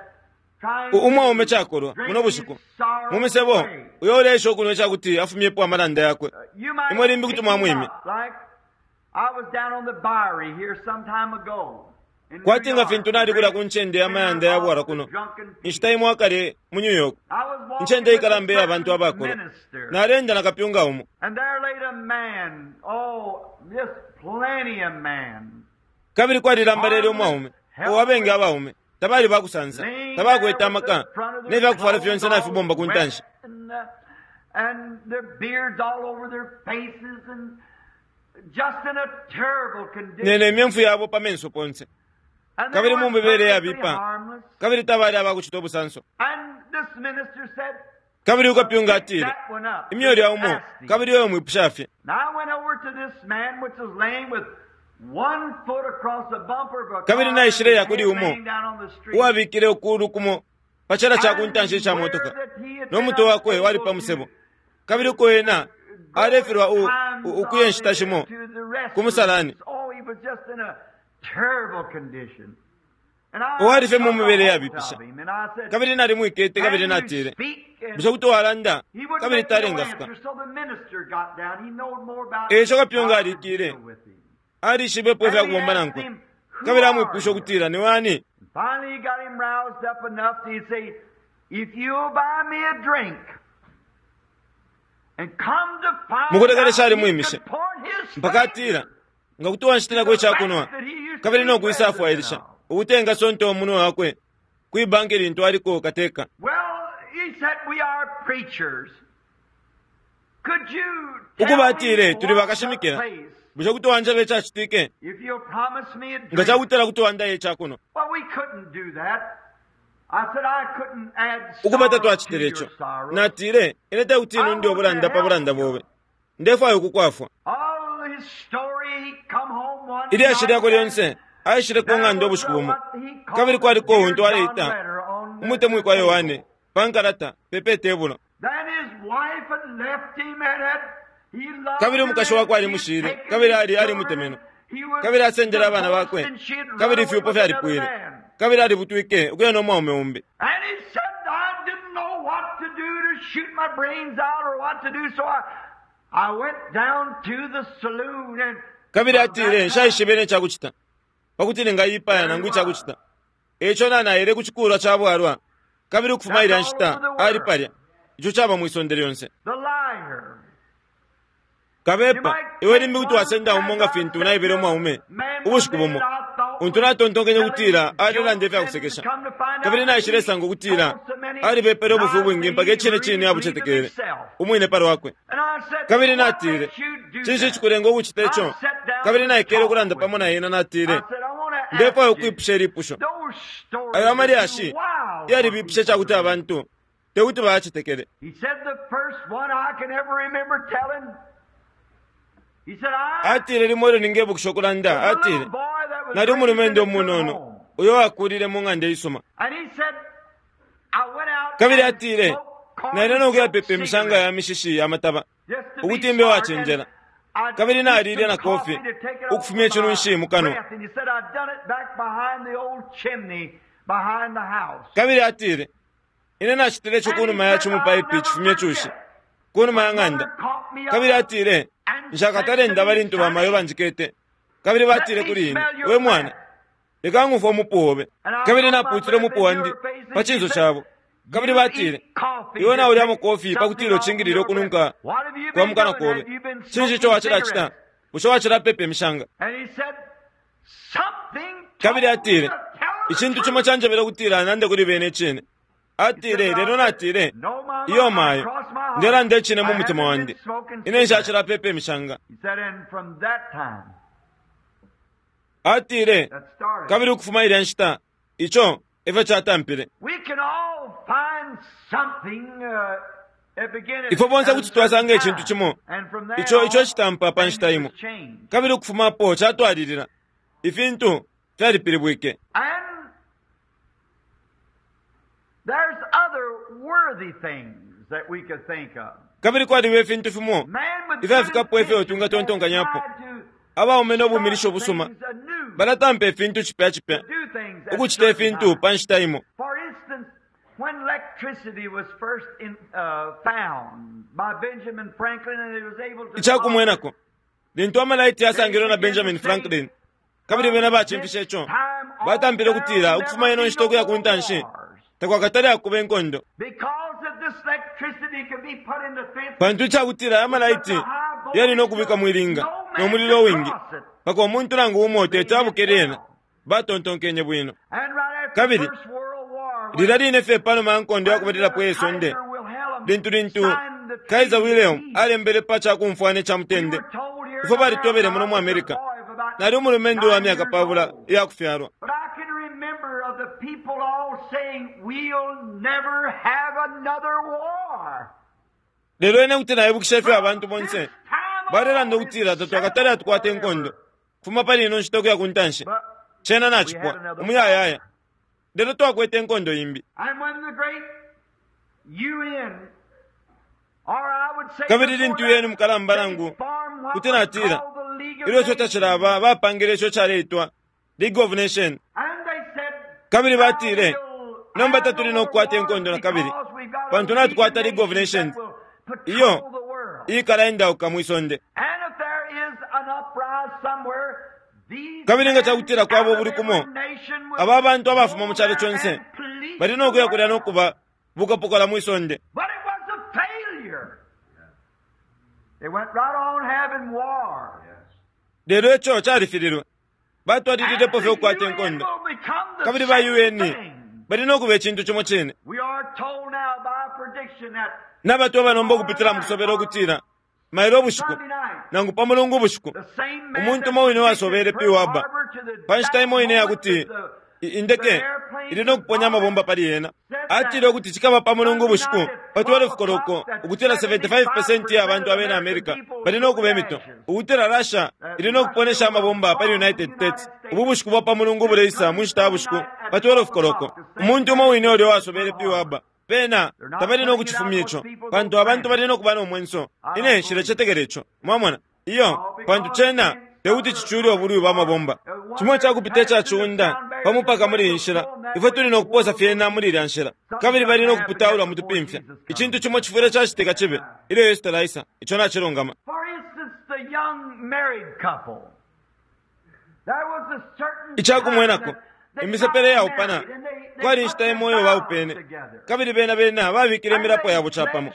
trying Umwaume to cakolwa drink muno his bushiku mu sorrows misebo away. uyo uleesha ukunwa icakuti afumyepo amalanda yakwe. You might Imwe limbi pick kuti him mwamwimya. up like I was down on the Bowery here some time ago in New Kwati nga York, fintu the nali kulya great ku ncende ya center mayanda ya of bwala the kuno. drunken Inshita people. imo akale mu New York, I was walking incende with a ikalamba iya bantu certain abakolwa. minister, Nalenda na kapyunga umo. and there laid a man, oh, just plenty of man, Kabili kwalilambalele armless, umwaume, uwabengi helpless, abaume, tabali bakusansa, laying there tabakwete with the amaka, front of ne their fyakufwala clothes fyonse all nafibomba ku wet ntanshi. and their beards all over their faces and just in a terrible Nene condition. imyemfu yabo pa menso ponse. And they Kabili mu were mibele perfectly yabipa, harmless. kabili tabali abakucita ubusanso. And this minister said, Kabili ukapyunga Pick atile, that one up. imyoli Just ya umo, asked him. kabili yoyo mwipusha fye. Now I went over to this man which was laying with one foot across the bumper of a Kabili car and naishile his ya kuli head umo, laying down on the street. uwabikile ukulu kumo pa chala ca ku ntanshi And ica where motoka, that he had no been mutwe wakwe wali unable pa to musebo. Kabili uko ena go alefilwa at times ukuya inshita shimo to the ku musalani. restrooms. Oh, he was just in a terrible condition. And I Uwali fye mu took a mibele hold yabipisha. of him and I said, Kabili nalimwikete kabili Can you natile, speak? bushe And kuti walanda? he wouldn't Kabili make no talengasuka. answer, so the minister got down. He knowed more about Eco kapyunga how to alikile, deal with him. alishibepo And ifya he kubomba asked nankwe. him, Who Kabili are amwipusha you? ukutila, ni wani? And finally, he got him roused up enough to say, If you'll buy me a drink, and come to find Mukulekelesha out, he alimwimishe. could point his Mpaka atila, finger nga kuti wanshitilako to the icakunwa, bank that he used to kabili be no president kwisafwailisha, of. ukutenga sonto umunwe wakwe kwi banki lintu aliko kateka. Well, he said, We are preachers. Could you Ukuba tell me atile, tuli what took bakashimikila, place bushe kuti wanjeba icacitike? if you'll promise me a Nga drink? cakutila kuti wandaye icakunwa. Well, we couldn't do that. I said I couldn't add Ukuba sorrow to tatwacitile your ico. sorrow. Natile, ine tekuti I nunde want to ubulanda pa help bulanda you. bobe. Ndefwaya ukukwafwa. All his story, he come home one Ilyashi night lyakwe and lyonse aishile ku there ng'anda was ubushiku bumo. what he Kabili called a kwaliko Dear untu John aleita letter on the umutemwikwa Yohane table. pa nkalata pepe tebulo. Then his wife had left him and had he loved Kabili her umukashi and wakwe she had alimushile, taken kabili his ali children. alimutemenwe. He was Kabili asendele abana divorced bakwe, and she had run kabili away ifyupo with another fyalipwile. man. Kabili alibutwike ukuya no mwaume umbi. And he said, I didn't know what to do to shoot my brains out or what to do, so I went down to the saloon and Kabili atile, Nshaishibe ne cakucita pakuti ningayipaya nangu icakucita. Eico na-naile ku cikulwa ca bwalwa, kabili ukufuma ilya nshita ali palya. Ico caba mwi sonde lyonse. Kabepa, iwe limbi kuti wasenda umo nga fintu naebele umwaume ubushiku bumo, untu natontonkenye ukutila alelanda ifya kusekesha, kabili naishilesanga ukutila alibepele ubufi ubwingi mpaka icine cine abucetekele umwine pa lwakwe. Kabili natile, Cinshi icikulenga ukucita ico? Kabili naikele ukulanda pamo na ena, natile, Ndefwaya ukwipusha ilipusho. Ayo amalyashi yalibipishe ca kuti abantu te kuti bayacetekele. Atile, Limo ilyo ningebukisha ukulanda, atile, Nali umulumendo umunono uyo wakulile mu ng'anda isuma. Kabili atile, Naile no kuyapepa imishanga ya mishishi ya mataba ukuti mbe uwacenjela. Kabili nalile na kofi ukufumya icinunshi mu kanwa. Kabili atile, Ine nacitile ico kunuma ya cimupaipi icifumya icushi, kunuma ya ng'anda. Kabili atile, Nshakatale ndaba lintu bamayo banjikete. Kabili batile kuli ine, We mwana, leka ng'umfwe umupu obe. Kabili napuutile umupu wandi pa cinso cabo. Kabili batile, Iwe naulyamo kofi pa kutila ucingilile ukununka kwa mu kanwa kobe. Cinshi ico wacilacita? Bushe wacilapepa imishanga? Kabili atile, Icintu cimo canjebele ukutila nande kuli bene icine. Atile, lelo natile, Iyo mayo, ndelanda icine mu mutima wandi. Ine nshacilapepa imishanga. Atile, kabili ukufuma ilya nshita, ico efyo catampile. Ifwe bonse kuti twasanga icintu cimo ico ico citampa pa nshita imo, kabili ukufuma apo catwalilila, ifintu fyalipilibwike. Kabili kwaliba ifintu fimo ifyafikapo ifyo twingatontonkanyapo. Abaume no bumilisho busuma balatampa ifintu cipya cipya, ukucita ifintu pa nshita imo. When electricity was first in, found by Benjamin Franklin and it was able to Ica kumwenako, lintu amalaiti yasangilwe na Benjamin Franklin, kabili bena bacimfishe ico, batampile ukutila ukufuma ino nshita ukuya ku ntanshi takwakatale akuba inkondo. Pantu ica kutila aya malaiti yali no kubikwa mwi linga no mulilo uwingi, mpaka umuntu nangu umo teti abuke lyena. Batontonkenye bwino. Kabili lilya line fye pa numa ya nkondo ya kubalilapo iye sonde, lintu lintu Kaiser Wilhelm alembele pa ca kumfwana ica mutende, ifwe balitobele muno mu America. Nali umulumendo uwa myaka pabula iya kufyalwa. Lelo ine kuti naibukisha ifyo abantu bonse balelanda ukutila tatwakatale atukwata inkondo kufuma pali ino nshita ukuya ku ntanshi. Cena nacipwa umuyayaya. Lelo twakwete inkondo imbi. Kabili lintu UN mukalamba nangu kuti natila ilyo ico tacilaba bapangile ico caleitwa League of Nations. Kabili batile nomba tatuli no kukwata inkondo na kabili pantu natukwata League of Nations iyo iikalaendauka mwi sonde. Kabili nga cakutila kwaba ubuli kumo, aba bantu abafuma mu calo conse bali no kuya kulya no kuba bukapokola mwi sonde. Lelo ico califililwe. Batwalililepo fye ukukwata inkondo. Kabili ba UN bali no kuba icintu cimo cine. Nabatweba nomba ukupitila mu kusobela ukutila mailo ubushiku nangu pa mulungu ubushiku umuntu umo wine wasobele Pearl Harbor pa nshita imo ine yakuti indeke ili no kuponya amabomba pali yena. Atile ukuti cikaba pa mulungu ubushiku pa 12 koloko ukutila 75% ya bantu abena America bali no kuba imito, ukutila Russia ili no kuponesha amabomba pali United States. Ubu bushiku bwa pa mulungu buleisa mu nshita ya bushiku pa 12 koloko. Umuntu umo wine ulya wasobele Pearl Harbor pena tabali no kucifumya ico, pantu abantu bali no kuba no mwenso. Ine nshilecetekela ico, mwamona iyo, pantu cena tekuti cicule ubulwi bwa mabomba. Cimo cakupita ica ciunda pa mupaka muli iyi nshila, ifwe tuli no kuposa fyena muli ilya nshila, kabili bali no kuputaulwa mu tupimfya. Icintu cimo cifwile cacitika cibe ilyo Yesu talaisa. Ico nacilungama. Ica kumwenako, imisepele yaupana, kwali inshita imo iyo baupene, kabili bena bena babikile imilapo yabo capamo,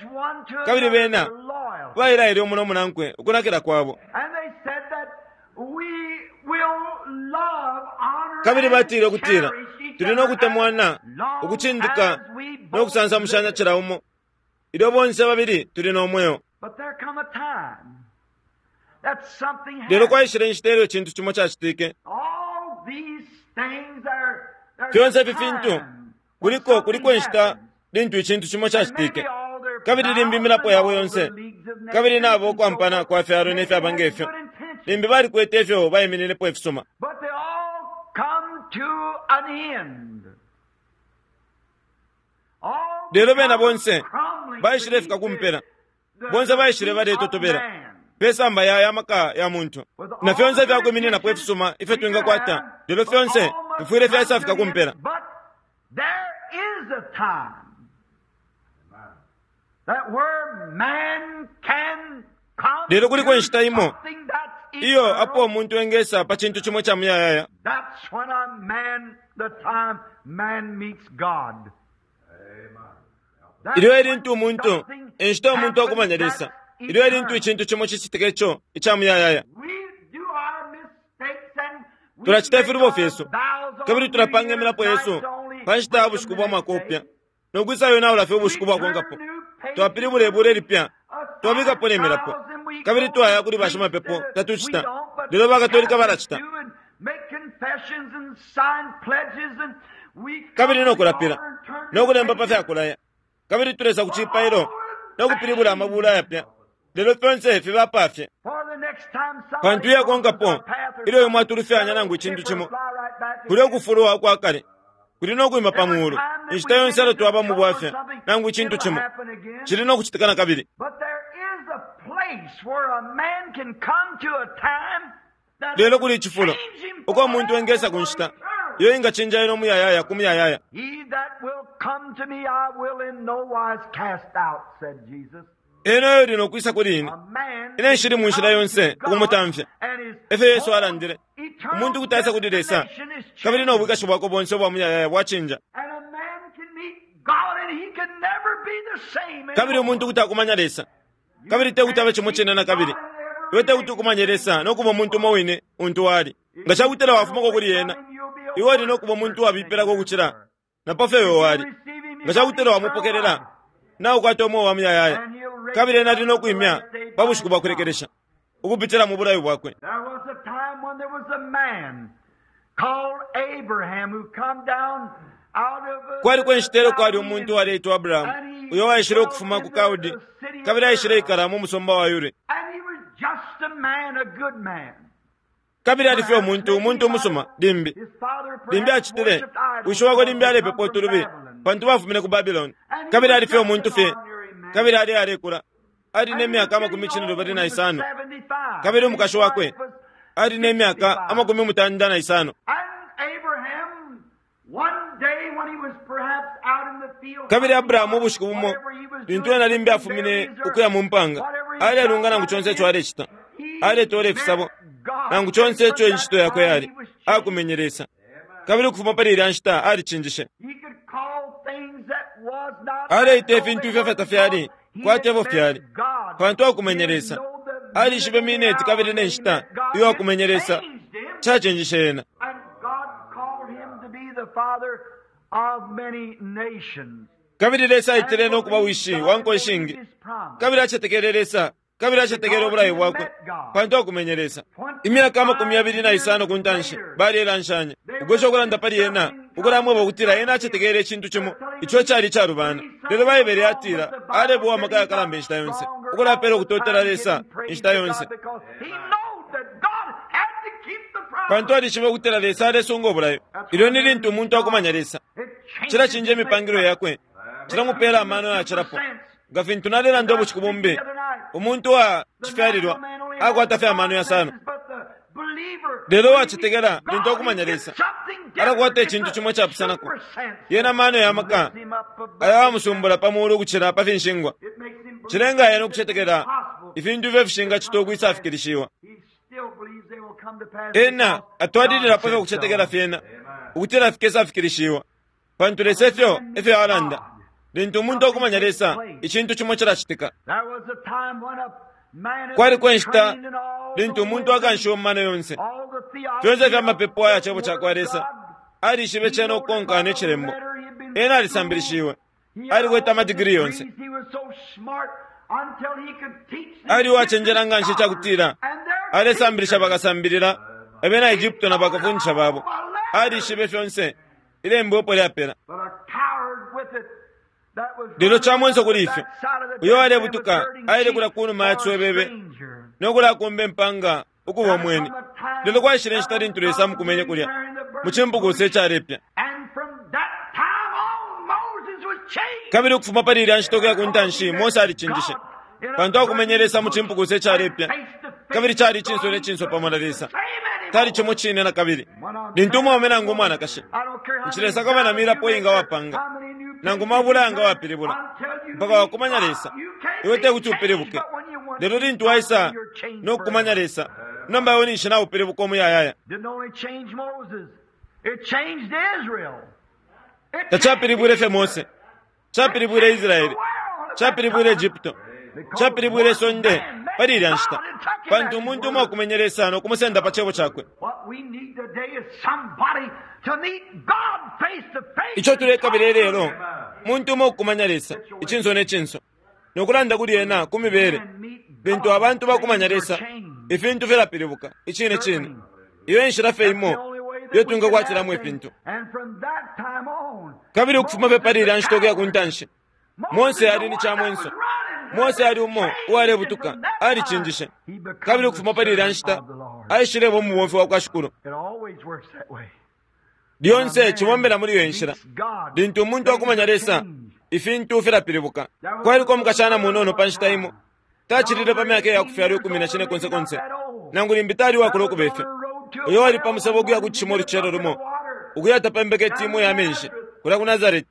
kabili bena bailaile umo no munankwe ukunakila kwabo. Kabili batile ukutila tuli no kutemwana, ukucindika no kusansamushanya cila umo ilyo bonse babili tuli no mweo. Lelo kwaishile inshita ilyo icintu cimo cacitike. Fyonse ifi fintu kuliko kuliko inshita lintu icintu cimo cacitike, kabili limbi imilapo yabo yonse, kabili nabo ukwampana kwa fyalo ne fyaba nge fyo, limbi balikwete ifyo baimininepo ifisuma. Lelo bena bonse baishilefika ku mpela, bonse baishile baletotobela pe samba ya maka ya muntu, na fyonse ifyakwimininapo ifisuma ifyo twingakwata, lelo fyonse fifwile fyaisafika ku mpela. Lelo kuliko inshita imo iyo apo umuntu engesa pa cintu cimo ca muyayaya. Ilyo elintu umuntu, inshita umuntu akumanya Lesa, ilyo elintu icintu cimo cicitika ico ica muyayaya. Tulacita ifilubo fyesu, kabili tulapanga imilapo yesu pa nshita ya bushiku bwa mwaka upya, no kwisa yonaula fye ubushiku bwakonkapo. Twapilibula ibula ilipya, twabikapo ne milapo, kabili twaya kuli bashimapepo. Tatucita, lelo bakatolika balacita, kabili no kulapila no kulemba pa fyakulaya, kabili tulesa ku cipailo no kupilibula amabula ayapya, lelo fyonse fiba fye. Pantu iyakonkapo ilyo imwe atulufyanya nangu icintu cimo, kuli ukufulwa ukwa kale kuli no kwima pa muulu. Inshita yonse elo twaba mu bwafya nangu icintu cimo, cili no kucitika na kabili. Lelo kuli icifulo uko umuntu engesa ku nshita iyo ingacinja ino muyayaya ku muyayaya. Ena uyo uli no kwisa kuli ine, ine nshili mu nshila yonse ukumutamfya. Efyo Yesu alandile. Umuntu kuti aisa kuli Lesa, kabili no bwikashi bwakwe bonse ubwa muyayaya bwacinja. Kabili umuntu kuti akumanya Lesa, kabili te kuti abe cimo cine na kabili. Iwe te kuti ukumanye Lesa no kuba umuntu umo wine untu wali. Nga cakutila wafumako kuli ena, iwe uli no kuba umuntu uwabipilako ukucila na pa fyo iwe wali. Nga cakutila wamupokelela, naukwata umweo wa muyayaya, kabili ena ali no kwimya pa bushiku bwa kulekelesha ukupitila mu bulayo bwakwe. Kwaliko inshita ilyo kwali umuntu uwaleitwa Abrahamu, uyo waishile ukufuma ku Kaldi, kabili aishileikala mu musumba wa Uri. Kabili ali fye umuntu, umuntu umusuma, limbi limbi acitile, wishi wakwe limbi alepepa utulubi, pantu bafumine ku Babiloni. Kabili ali fye umuntu fye, kabili ali alekula, ali ne myaka 25, kabili umukashi wakwe ali ne myaka 95. Kabili Abrahamu ubushiku bumo, lintu ena limbi afumine ukuya mu mpanga, alelunga nangu conse ico alecita, aletoola ifisabo, nangu conse ico incito yakwe yali, akumenye Lesa. Kabili ukufuma pali ilya nshita alicinjishe. Aleita ifintu ifyo fyatafyali kwati ebo fyali, pantu akumenye Lesa. Alishibe mineti kabili ne nshita iyo akumenye Lesa cacinjishe ena. Kabili Lesa aitile no kuba wishi wa nko ishingi, kabili acetekele Lesa, kabili acetekele ubulayo bwakwe, pantu akumenye Lesa. Imyaka 25 ku ntanshi balelanshanya, ukwesha ukulanda pali ena, ukulamweba ukutila ena acetekele icintu cimo ico cali calubana. Lelo Baibele yatila aleba amaka yakalamba inshita yonse, ukulapela ukutotela Lesa inshita yonse, pantu alishiba ukutila Lesa alesunga ubulayo. Ilyo ni lintu umuntu akumanya Lesa, cilacinja imipangilwe yakwe, cilamupela amano yacilapo. Nga fintu nalelanda ubushiku bumbi, umuntu wa cifyalilwa akwata fye amano yasano, lelo uwacetekela lintu akumanya Lesa alakwata icintu cimo icapusanako. Yena mano ya maka ayamusumbula pa muulu ukucila pa finshingwa, cilenga yena ukucetekela ifintu ifyo fishingacitwa ukwisafikilishiwa. Ena atwalililapo fye ukucetekela fyena ukutila fikesafikilishiwa, pantu Lesa efyo efyo alanda. Lintu umuntu akumanya Lesa, icintu cimo cilacitika. Kwaliko inshita lintu umuntu akanshiwe mu mano yonse, fyonse ifya mapepo aya cebo cakwa Lesa, alishibe cena ukukonka ne cilembo. Ena alisambilishiwe, alikwete amadigiri yonse, ali uwacenjela nga nshi icakutila alesambilisha bakasambilila abena Egypto na bakafundisha babo. Alishibe fyonse ilembo epo lyapela. Lelo camwenso kuli ifyo, uyo alebutuka aile kulya kunuma ya ciswebebe no kulakumba impanga ukuba umweni. Lelo kwaishile inshita lintu Lesa amukumenye kulya mu cimpukusa icalepya. Kabili ukufuma pali ilya nshita ukuya ku ntanshi, Mose alicinjishe, pantu akumenye Lesa mu cimpukusa icalepya, kabili cali icinso ne cinso pamo na Lesa. Tali cimo cine na kabili. Lintu umwaume nangu umwanakashi, nshilesakama na milapo inga wapanga, nangu mabula yanga wapilibula, mpaka wakumanya Lesa, iwe tekuti upilibuke. Lelo lintu waisa no kukumanya Lesa, nomba iwe ninshi naupilibuka umuyayaya. Tacapilibwile fye Mose, capilibwile Israele, capilibwile Egypto, capilibwile sonde pali ilya nshita, pantu umuntu umo akumenye Lesa no kumusenda pa cebo cakwe. Ico tulekabila ilelo, muntu umo ukukumanya Lesa icinso ne cinso no kulanda kuli ena ku mibele. Lintu abantu bakumanya Lesa, ifintu filapilibuka icine cine. Iyo enshila fye imo iyo twingakwatilamo ifintu. Kabili ukufuma fye pali ilya nshita ukuya ku ntanshi, Mose ali ni camwenso. Mose ali umo uwalebutuka, alicinjishe. Kabili ukufuma pali ilya nshita aishileba umubomfi wa kwa Shikulu. Lyonse cibombela muli iyo nshila. Lintu umuntu akumanya Lesa, ifintu filapilibuka. Kwaliko umukashana munono pa nshita imo, tacilile pa myaka iya kufyalwa 14 konse konse, nangu limbi tali uwakula ukuba ifyo. Uyo wali pa musebo ukuya ku cishima ulucelo lumo, ukuya tapembeka itimu ya menshi kulya ku Nazareti.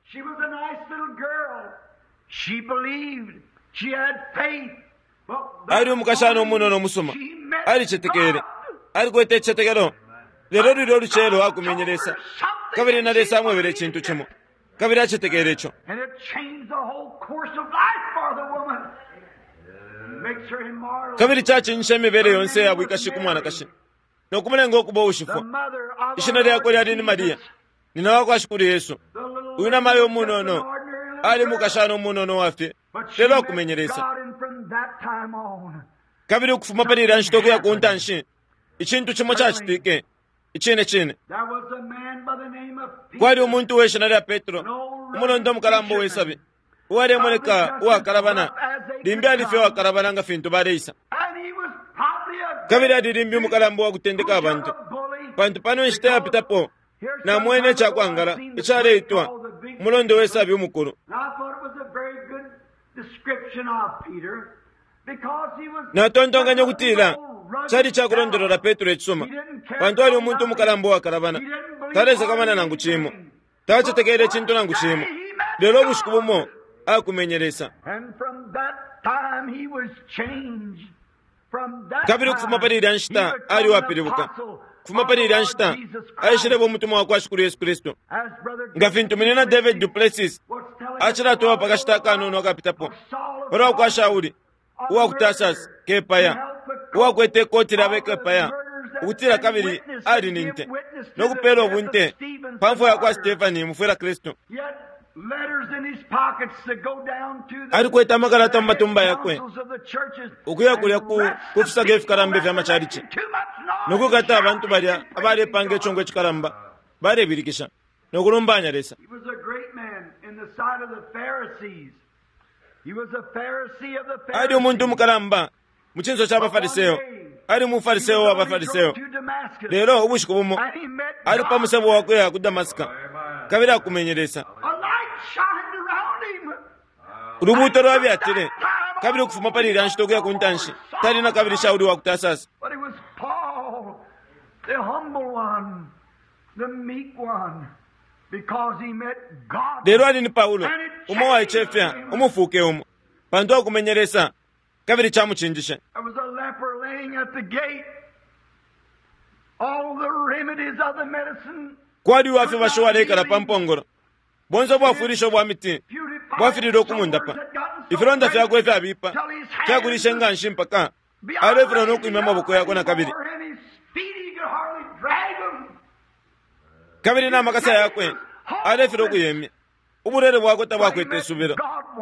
Ali umukashana umunono umusuma, alicetekele, alikwete icicetekelo. Lelo lulya ulucelo akumenye Lesa, kabili na Lesa amwebele icintu cimo, kabili acetekele ico. Kabili cacinjishe imibele yonse ya bwikashi ku mwanakashi no kumulenga ukuba ushifwa. Ishina lyakwe lyali ni Mariya, nina wa kwa Shikulu Yesu. Uyu namayo umunono ali mukashana umunono wafye, lelo akumenye Lesa. Kabili ukufuma pali ilya nshita ukuya ku ntanshi, icintu cimo cacitike icine cine. Kwali umuntu we shina lya Petro, umulondo mukalamba uwesabi, uwalemoneka uwakalabana, limbi ali fye uwakalabana nga fintu baleisa. Kabili ali limbi umukalamba uwa kutendeka abantu, pantu pano inshita yapitapo namwene icakwangala icaleitwa umulondo wesabi umukulu. Natontonkanya ukutila cali cakulondolola Petro icisuma, pantu ali umuntu umukalamba uwakalabana, talesakamana nangu cimo, tacetekele icintu nangu cimo. Lelo ubushiku bumo akumenye Lesa. Kabili ukufuma pali ilya nshita ali uwapilibuka. Kufuma pali ilya nshita aishileba umutumwa wa kwa Shikulu Yesu Kristu. Nga fintu munyina David duPlessis acilatoba pa kashita akanono akapitapo palwa kwa Shauli uwa ku Tarsus kepaya, uwakwete ikoti lya bekepaya, ukutila kabili ali ni nte no kupeela ubunte pa mfwa ya kwa Stefani mufwila Kristu. Alikwete amakalata mu matumba yakwe ukuya kulya ku kufisaka ifikalamba ifya macalici no kukata abantu balya abalepanga icongo icikalamba balebilikisha no kulumbanya Lesa. Ali umuntu umukalamba mu cinso ca baFariseo, ali umuFariseo wa baFariseo. Lelo ubushiku bumo ali pa musebo wa kuya ku Damasika, kabili akumenye Lesa. Ulubuuto lwabyatile, kabili ukufuma pali ilya nshita ukuya ku ntanshi tali na kabili Shauli wa ku Tarsus. Lelo ali ni Paulo, umo uwaicefya, umufuke umo, pantu akumenye Lesa, kabili camucinjishe. Kwali uwa fibashi uwaleikala pa mpongolo. Bonse ubwafwilisho bwa miti bwafililwe ukumundapa. Ifilonda fyakwe ifyabipa fyakulishe nga nshi mpaka alefilwa no kwimya amaboko yakwe na kabili. Kabili na makasa yakwe alefilwa ukuyemya. Ubulwele bwakwe tabwakwete isubilo.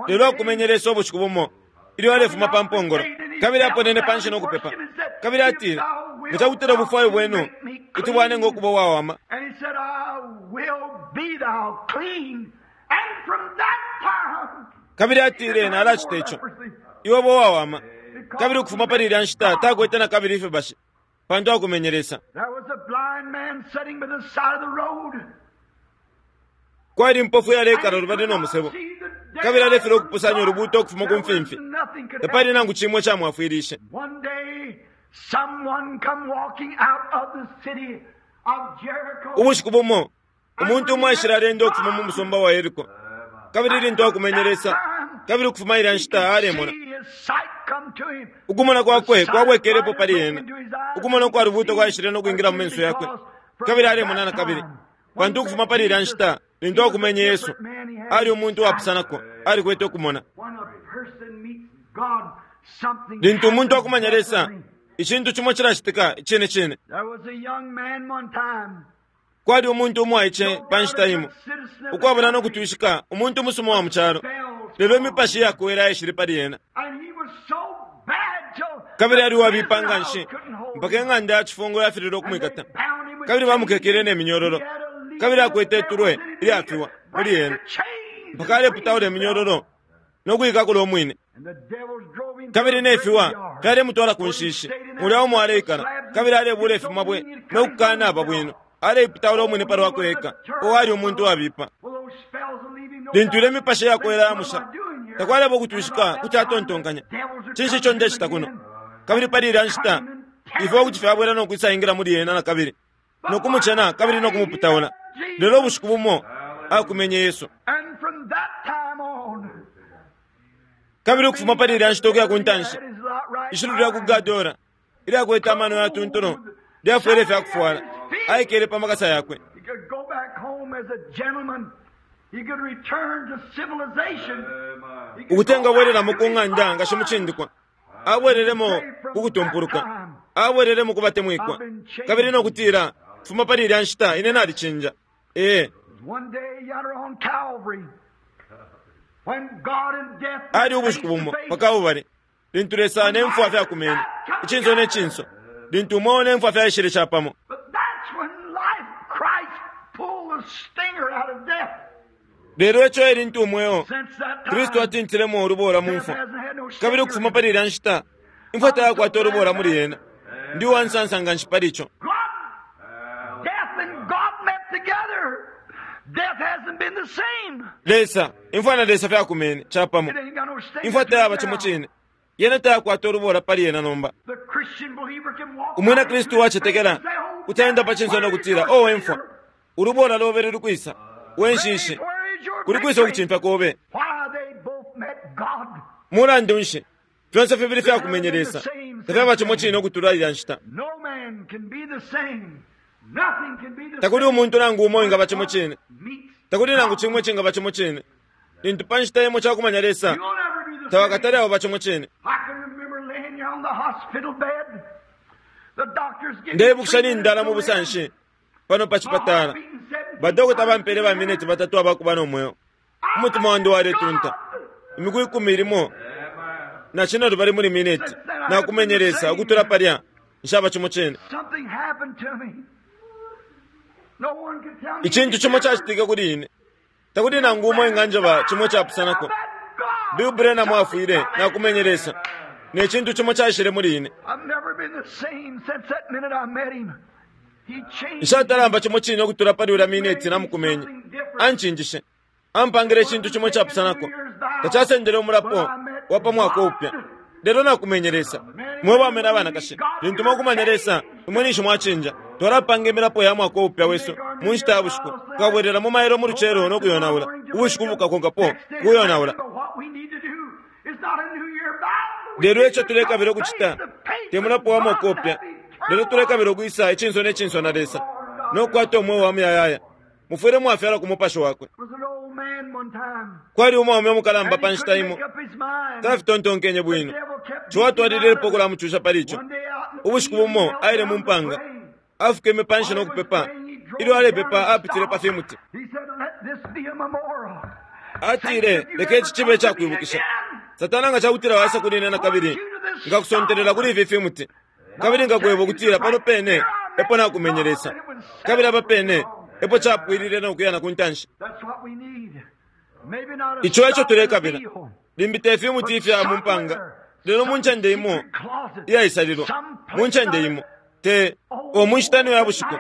Lelo akumenye Lesa ubushiku bumo ilyo alefuma pa mpongolo, kabili aponene panshi no kupepa. Kabili atile, Nga cakutila ubufwayo bwenu kuti bwanenga ukuba uwawama. Kabili atile, Nalacita ico. Iwe uba uwawama. Kabili ukufuma pali ilya nshita takwete na kabili ifibashi, pantu akumenye Lesa. Kwali impofu iyaleikala lubali no musebo, kabili alefilwa ukupusanya ulubuuto ukufuma ku mfimfi. Tapali nangu cimo icamwafwilishe. Ubushiku bumo, umuntu umo aishile aleenda ukufuma mu musumba wa Yeriko, kabili lintu akumenye Lesa, kabili ukufuma ilya nshita alemona. Ukumona kwakwe kwabwekelepo pali ena. Ukumona ukwa lubuuto kwaishile no kwingila mu menso yakwe, kabili alemona na kabili. Pantu ukufuma pali ilya nshita, lintu akumenye Yesu, ali umuntu uwapusanako, alikwete ukumona. Lintu umuntu akumanya Lesa, icintu cimo cilacitika icine cine. Kwali umuntu umwaice pa nshita imo, ukwabula no kutwishika, umuntu umusuma wa mu calo, lelo imipashi iyakowela yaishile pali ena. Kabili ali uwabipa nga nshi, mpaka ing'anda ya cifungo yafililwe ukumwikata. Kabili bamukekele ne minyololo, kabili akwete itulwe ilyafiwa muli ena, mpaka aleputaula iminyololo no kuikakula umwine. Kabili ne fiwa fyalemutwala ku nshishi, mulya umo aleikala, kabili alebuula ifimabwe no kukanaba bwino, aleiputaula umwine pa lwakwe eka. O ali umuntu uwabipa. Lintu ilyo imipashi iyakowela yamusha, takwaleba ukutwishika kuti atontonkanya, Cinshi ico ndecita kuno? Kabili pali ilya nshita, ifiwa kuti fyabwela no kwisaingila muli ena na kabili, no kumucena kabili no kumuputaula. Lelo ubushiku bumo akumenye Yesu. Kabili ukufuma pali ilya nshita ukuya ku ntanshi, ishilu lya ku Gadora ilyakwete amano yatuntulu lyafwele ifya kufwala, aikele pa makasa yakwe. Ukuti engabwelelamo ku ng'anda nga shimucindikwa, abwelelemo ku kutumpuluka, abwelelemo ku batemwikwa, kabili no kutila, Fuma pali ilya nshita ine nalicinja. Ee. Ali ubushiku bumo pa Kalbale, lintu Lesa ne mfwa fyakumene, icinso ne cinso, lintu umweo ne mfwa fyaishile capamo. Lelo ico e lintu umweo, Kristu atintilemo ulubola mu mfwa. Kabili ukufuma pali ilya nshita, imfwa tayakwata ulubola muli yena. Ndi uwa nsansa nga nshi pali ico. Lesa, imfwa na Lesa fyakumene capamo. Imfwa tayaba cimo cine. Yena tayakwata ulubola pali yena nomba. Umwina Kristu uwacetekela kuti aenda pa cinso no kutila, O we mfwa, ulubola lobe luli kwisa? We nshishi, kuli kwisa ukucimfya kobe? Mulandu nshi, fyonse fibili fyakumenye Lesa, tafyaba cimo cine ukutula ilya nshita. Takuli umuntu nangu umo uwingaba cimo cine. Takuli nangu cimo icingaba cimo cine. Lintu pa nshita imo cakumanya Lesa, tawakatale auba cimo cine. Ndeibukisha nindala mu busanshi pano pa cipatala. Badokota bampele ba mineti batatu abakuba no mweo. Umutima wandi waletunta imiku ikumi limo na cine lubali muli mineti. Nakumenye Lesa ukutula palya nshaba cimo cine. Icintu cimo cacitike kuli ine. Takuli nangu umo enganjeba cimo icapusanako. Bill Branham afwile, nakumenye Lesa, ne cintu cimo caishile muli ine. Nshatalamba cimo cine ukutula pali ulya mineti namukumenye. Ancinjishe. Ampangile icintu cimo icapusanako. Tacasendele umulapo wa pa mwaka upya. Lelo nakumenye Lesa. Mwe baume na banakashi, lintu mwakumanya Lesa, imwe ninshi mwacinja. Twalapanga imilapo ya mwaka upya wesu mu nshita ya bushiku. Tukabwelelamo mailo mu lucelo no kuyonaula. Ubushiku bukakonkapo, kuyonaula. Lelo ico tulekabila ukucita te mulapo wa mwaka upya. Lelo tulekabila ukwisa icinso ne cinso na Lesa no kukwata umweo wa muyayaya. Mufwile mwafyalwa ku Mupashi Wakwe. Kwali umwaume umukalamba pa nshita imo, tafitontonkenye bwino. Ciwa atwalililepo ukulamucusha pali ico. Ubushiku bumo aile mu mpanga, afukeme panshi no kupepa. Ilyo alepepa apitile pa fimuti. Atile, Leka ici cibe ica kwibukisha. Satana nga ca kutila waisa kuli ine na kabili, nkakusontelela kuli ifi fimuti. Kabili nkakweba ukutila pano pene epo nakumenye Lesa. Kabili apa pene epo capwilile no kuya na ku ntanshi. Ico eco tulekabila. Limbi te fimuti ifya mu mpanga, lelo mu ncende imo iyaisalilwa, mu ncende imo, te o mu nshita ino ya bushiku,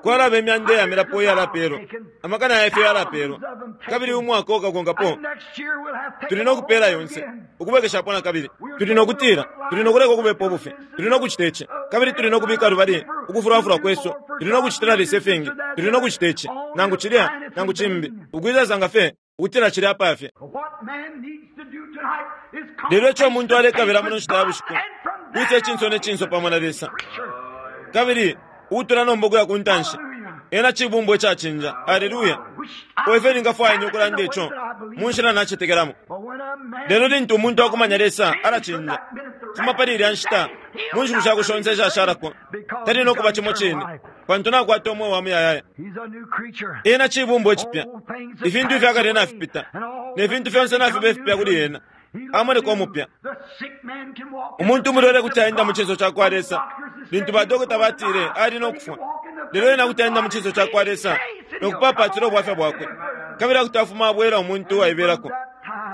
kwalaba imyanda iya milapo iyalapelwa, amakana ya ifyo yalapelwa, kabili umwaka ukakonkapo tuli no kupela yonse, ukubwekeshapo na kabili. Tuli no kutila, tuli no kuleka ukubepa ubufi, tuli no kucita ici, kabili tuli no kubika lubali ukufulafula kwesu, tuli no kucitila Lesa ifingi, tuli no kucita ici, nangu cilya, nangu cimbi, ukwisasanga fye ukutila cili apa fye. Lelo ico umuntu alekabila muno nshita ya bushiku, kwisa icinso ne cinso pamo na Lesa. Kabili ukutula nomba ukuya ku ntanshi, ena cibumbwa icacinja. Aleluya! O ifyo ningafwaya ine ukulanda ico mu nshila nacetekelamo. Lelo lintu umuntu akumanya Lesa, alacinja. Fuma pali ilya nshita, mu nshiku shakwe shonse ishashalako, tali no kuba cimo cine, pantu nakwata umweo wa muyayaya. Ena cibumbwa icipya. Ifintu ifya kale nafipita, ne fintu fyonse nafiba ifipya kuli ena. Amoneka umupya. Umuntu umulwele kuti aenda mu cinso ca kwa Lesa lintu badokota batile ali no kufwa. Lelo ena kuti aenda mu cinso ca kwa Lesa no kupaapaatila ubwafya bwakwe, kabili kuti afuma abwela umuntu uwaibelako,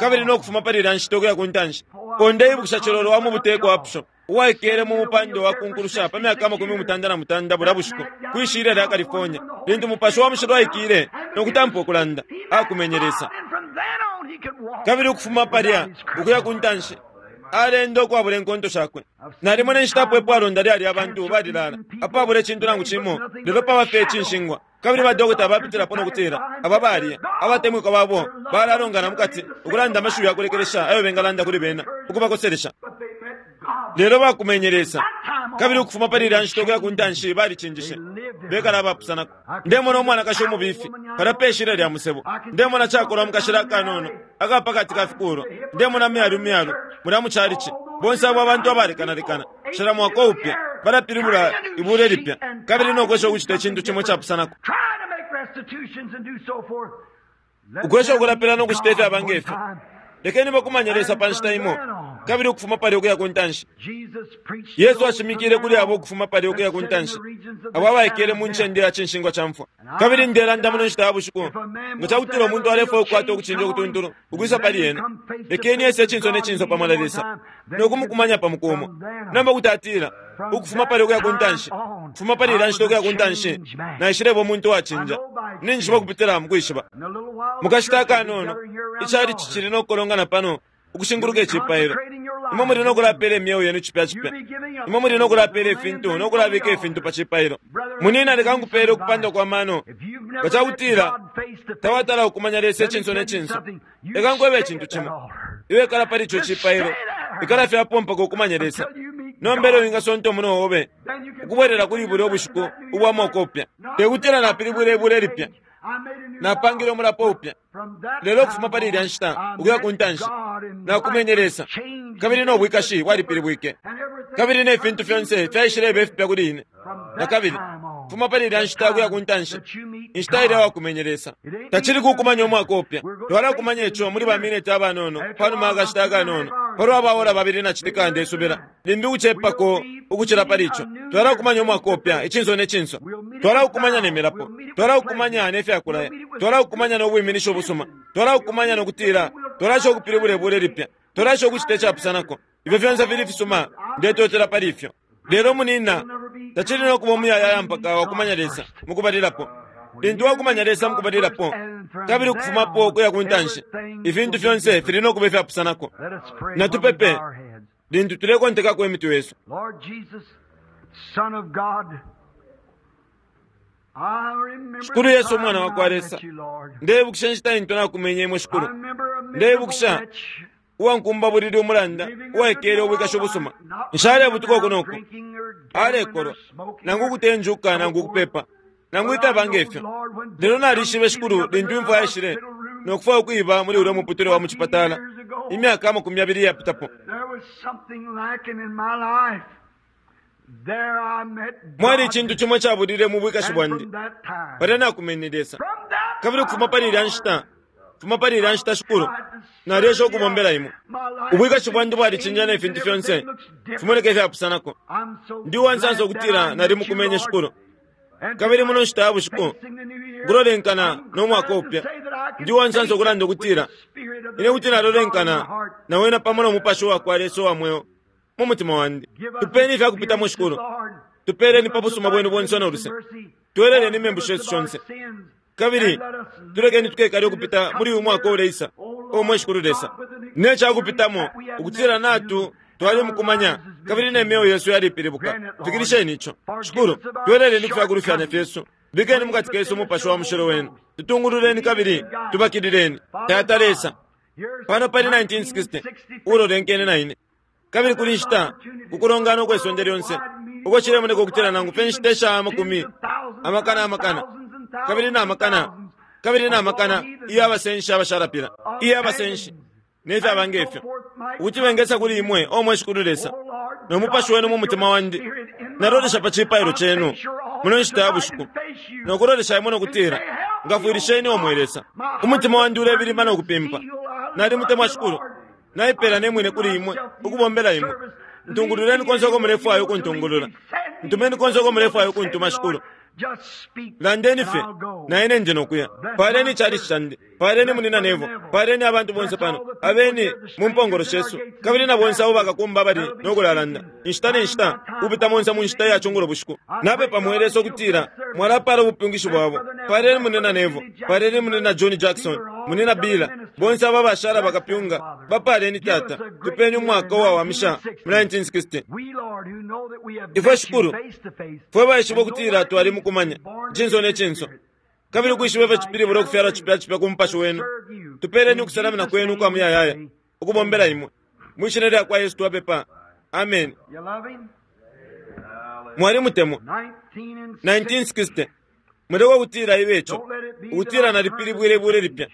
kabili no kufuma pali ilya nshita ukuya ku ntanshi. O ndeibukisha cilolo wa mu buteko Upshaw, uwaikele mu mupando wa kunkulusha pa myaka 83 bulya bushiku kwi shilya lya California, lintu Mupashi wa Mushilo aikile no kutampa ukulanda, akumenye Lesa. Kabili ukufuma palya ukuya ku ntanshi, aleenda ukwabula inkonto shakwe. Nalimona inshita apo ipwalonda lyali abantu balilala apabula icintu nangu cimo, lelo paba fye icinshingwa. Kabili badokota bapitilapo no kutila, Aba balya, abatemwikwa babo balalongana mu kati, ukulanda amashiwi ya kulekelesha ayo bengalanda kuli bena, ukubakoselesha. Lelo bakumenye Lesa, kabili ukufuma pali ilya nshita ukuya ku ntanshi balicinjishe, bekala abapusanako. Ndemona umwanakashi umubifi palya pe shilya lya musebo. Ndemona cakolwa mu kashila akanono aka pa kati ka fikuulwa. Ndemona myalu myalu mulya mu calici. Bonse abo abantu abalekanalekana, cila mwaka upya, balapilibula ibula ilipya kabili no kwesha ukucita icintu cimo icapusanako. Ukwesha ukulapila no kucita ifyaba nge fyo. Lekeni bakumanye Lesa pa nshita imo, kabili ukufuma palya ukuya ku ntanshi. Yesu ashimikile kuli abo ukufuma palya ukuya ku ntanshi, abo abaikele mu ncende ya cinshingwa ca mfwa. Kabili ndelanda muno nshita ya bushiku, nga ca kutila umuntu alefwaya ukukwata ukucinja ukutuntulu ukwisa pali ena, lekeni ese icinso ne cinso pamo na Lesa, no kumukumanya pa muku umo. Nomba kuti atila, Ukufuma palya ukuya ku ntanshi, ukufuma pali ilya nshita ukuya ku ntanshi, naishileba umuntu uwacinja. Ninjishiba ukupitila mu kwishiba. Mu kashita akanono, icalici cili no kukolongana pano ukushinguluka icipailo. Imwe muli no kulapeela imyeo yenu cipya cipya. Imwe muli no kulapeela ifintu no kulabika ifintu pa cipailo. Munina, leka nkupeele ukupanda kwa mano. Nga ca kutila tawatala ukumanya Lesa icinso ne cinso, leka nkwebe icintu cimo. Iwe ikala pali ico cipailo. Ikala fye apo mpaka ukumanye Lesa. Nomba elyo wingasonta umunwe obe ukubwelela kuli bulya ubushiku ubwa mwaka upya. Te kutila napilibwile ibula ilipya, napangile umulapo upya, lelo ukufuma pali ilya nshita ukuya ku ntanshi, nakumenye Lesa, kabili no bwikashi bwalipilibwike, kabili ne fintu fyonse fyaishileba ifipya kuli ine. Na kabili, ukufuma pali ilya nshita ukuya ku ntanshi, inshita ilya wakumenye Lesa. Tacili kukumanya umwaka upya. Twalakumanya ico muli baminiti abanono, pa numa ya kashita akanono, palwa ba ora babili na citika ndesubila, limbi ukucepako ukucila pali ico. Twalakumanya umwaka upya, icinso ne cinso. Twalakukumanya ne milapo. Twalakukumanya ne fya kulaya. Twalakukumanya no bwiminishi ubusuma. Twalakukumanya no kutila twalasha ukupilibula ibula ilipya. Twalasha ukucita icapusanako. Ifyo fyonse fili fisuma, ndetotela pali ifyo. Lelo, munina, tacili no kuba umuyayaya mpaka wakumanya Lesa mukubalilapo. Lintu wakumanya Lesa mukubalilapo, kabili ukufumapo ukuya ku ntanshi, ifintu fyonse fili no kuba ifyapusanako. Natupepe lintu tulekontekako imitwe yesu. Shikulu Yesu, Umwana wa kwa Lesa, ndeibukisha inshita intu nakumenye imwe, Shikulu. Ndeibukisha. Uwankumbabulili umulanda uwaikele ubwikashi ubusuma. Nshalebutuka uku no ku, alekolwa, nangu ukutenjuka nangu ukupepa, nangu ifyaba nge fyo. Lelo nalishibe Shikulu lintu imfwa yaishile no kufwaya ukwiba muli ulya muputule wa mu cipatala imyaka 20 iyapitapo. Mwali icintu cimo icabulile mu bwikashi bwandi. Palya nakumene Lesa. Kabili ukufuma pali ilya nshita, fuma pali ilya nshita, Shikulu, nalyesha ukubombela Imwe. Ubwikashi bwandi bwalicinja ne fintu fyonse fimoneka ifyapusanako. Ndi uwansansa ukutila nalimukumenye, Shikulu. Kabili muno nshita ya bushiku, nkulolenkana no mwaka upya. Ndi uwansansa ukulanda ukutila ine kuti nalolenkana na wena pamo no Mupashi uwakwa Lesa uwa mweo mu mutima wandi. Tupeni ifya kupitamo, Shikulu. Tupeleni pa busuma bwenu bonse no luse. Tweleleni imembu shesu shonse. Kabili tulekeni tukekale ukupita muli uyu mwaka uleisa, o mwe Shikulu Lesa, ne cakupitamo ukutila natu twalimukumanya kabili ne myeo yesu yalipilibuka. Fikilisheni ico, Shikulu. Tweleleni kufya kulufyanya fyesu. Bikeni mukati kesu Umupashi wa mushilo wenu. Tutungululeni kabili tubakilileni. Tata Lesa, pano pali 1960 ulolenkene na ine. Kabili kuli nshita kukulongana ukwe sonde lyonse uko cilemoneka ukutila nangu fye nshita isha amakumi amakana amakana kabili na makana kabili na makana iyo abasenshi abashalapila, iyo abasenshi ne fyaba nge fyo, ukuti bengesa kuli imwe, o mwe Shikulu Lesa, no Mupashi wenu mu mutima wandi. Nalolesha pa cipailo cenu muno nshita ya bushiku no kulolesha imwe no kutila, ngafwilisheni, o mwe Lesa. Umutima wandi ulebilima no kupimpa. Nalimutemwa Shikulu. Naipela ne mwine kuli imwe ukubombela imwe. Ntungululeni konse uko mulefwaya ukuntungulula. Ntumeni konse uko mulefwaya ukuntuma, Shikulu. Landeni fye, na ine ndi nokuya. Paleni icalici candi, paleni munina Nevo, paleni abantu bonse pano, abeni mu mpongolo shesu, kabili na bonse abo bakakumba abali no kulalanda inshita ne nshita kupita monse mu nshita ya cungulo bushiku. Napepa mwe Lesa ukutila mwalapala ubupyungishi bwabo. Paleni munina Nevo, paleni munina John Jackson, munina Bila, bonse abo abashala bakapyunga, bapaleni Tata. Tupeni umwaka uwawamisha mu 1960. Ifwe Shikulu, fwe baishiba ukutila twalimukumanya cinso ne cinso, kabili ukwishiba ifyo cipilibula ukufyalwa cipya cipya ku Mupashi wenu, tupeleni ukusalamina kwenu ukwa muyayaya ukubombela imwe. Mwi shina lya kwa Yesu twapepa, ameni. Mwalimutemwa. 1960. Muleka ukutila ibe ico ukutila nalipilibwile ibule lipya.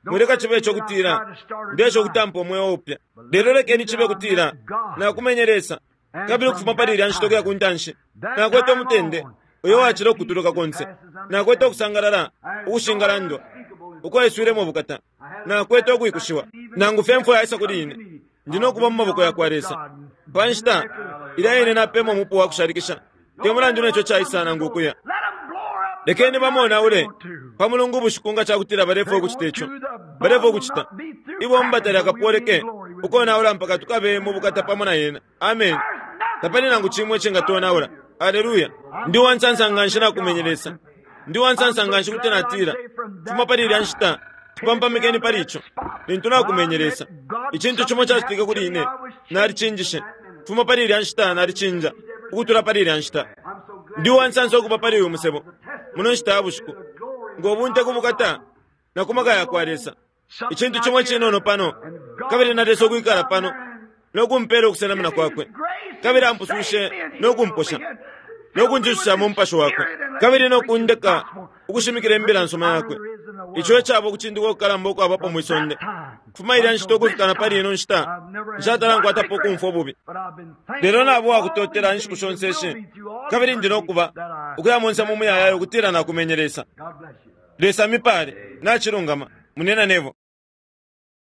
Mwileka cibe ico kutila ndesha ukutampa umweo upya, lelo lekeni cibe kutila nakumenye Lesa, kabili ukufuma pali ilya nshita ukuya ku ntanshi nakwete umutende uyo wacila ukutuluka konse. Nakwete ukusangalala ukushingalandwa ukwaiswilemo ubukata. Nakwete ukwikushiwa nangu fye mfwa yaisa kuli ine, ndi no kuba mu maboko ya kwa Lesa pa nshita ilya ine napema umupu wa kushalikisha, te mulandu neco caisa nangu ukuya. Lekeni bamonaule pa Mulungu ubushiku nga cakutila balefwaya ukucita ico balefwaya ukucita. Ibomba talyakapoleke ukonaula mpaka tukabe mu bukata pamo na yena. Amen. Tapali nangu cimwe icingatonaula. Aleluya. Ndi uwansansa nganshi nakumenye Lesa. Ndi uwansansa nganshi kuti natila, fuma pali ilya nshita, tupampamikeni pali ico. Lintu nakumenye Lesa, icintu cimo cacitike kuli ine, nalicinjishe. Fuma pali ilya nshita nalicinja, ukutula pali ilya nshita. Ndi uwansansa ukuba pali uyu musebo muno nshita ya bushiku, ngo bunte ku bukata na ku maka ya kwa Lesa. Icintu cimo icinono pano, kabili na Lesa ukwikala pano no kumpela ukusenamina kwakwe, kabili ampusushe no kumposha no kunjishusha mu Mupashi wakwe, kabili no kundeka ukushimikila imbila nsuma yakwe. Ico ecaba ukucindikwa ukukalamba ukwabapo mwi sonde. Kufuma ilya nshita ukufika na pali ino nshita, nshatala nkwatapo ukumfwa ububi. Lelo naba uwakutotela inshiku shonse ishi, kabili ndi no kuba ukuya monse mu muyayaya ukutila nakumenye Lesa. Lesa mipale. Nacilungama, munina Nevo.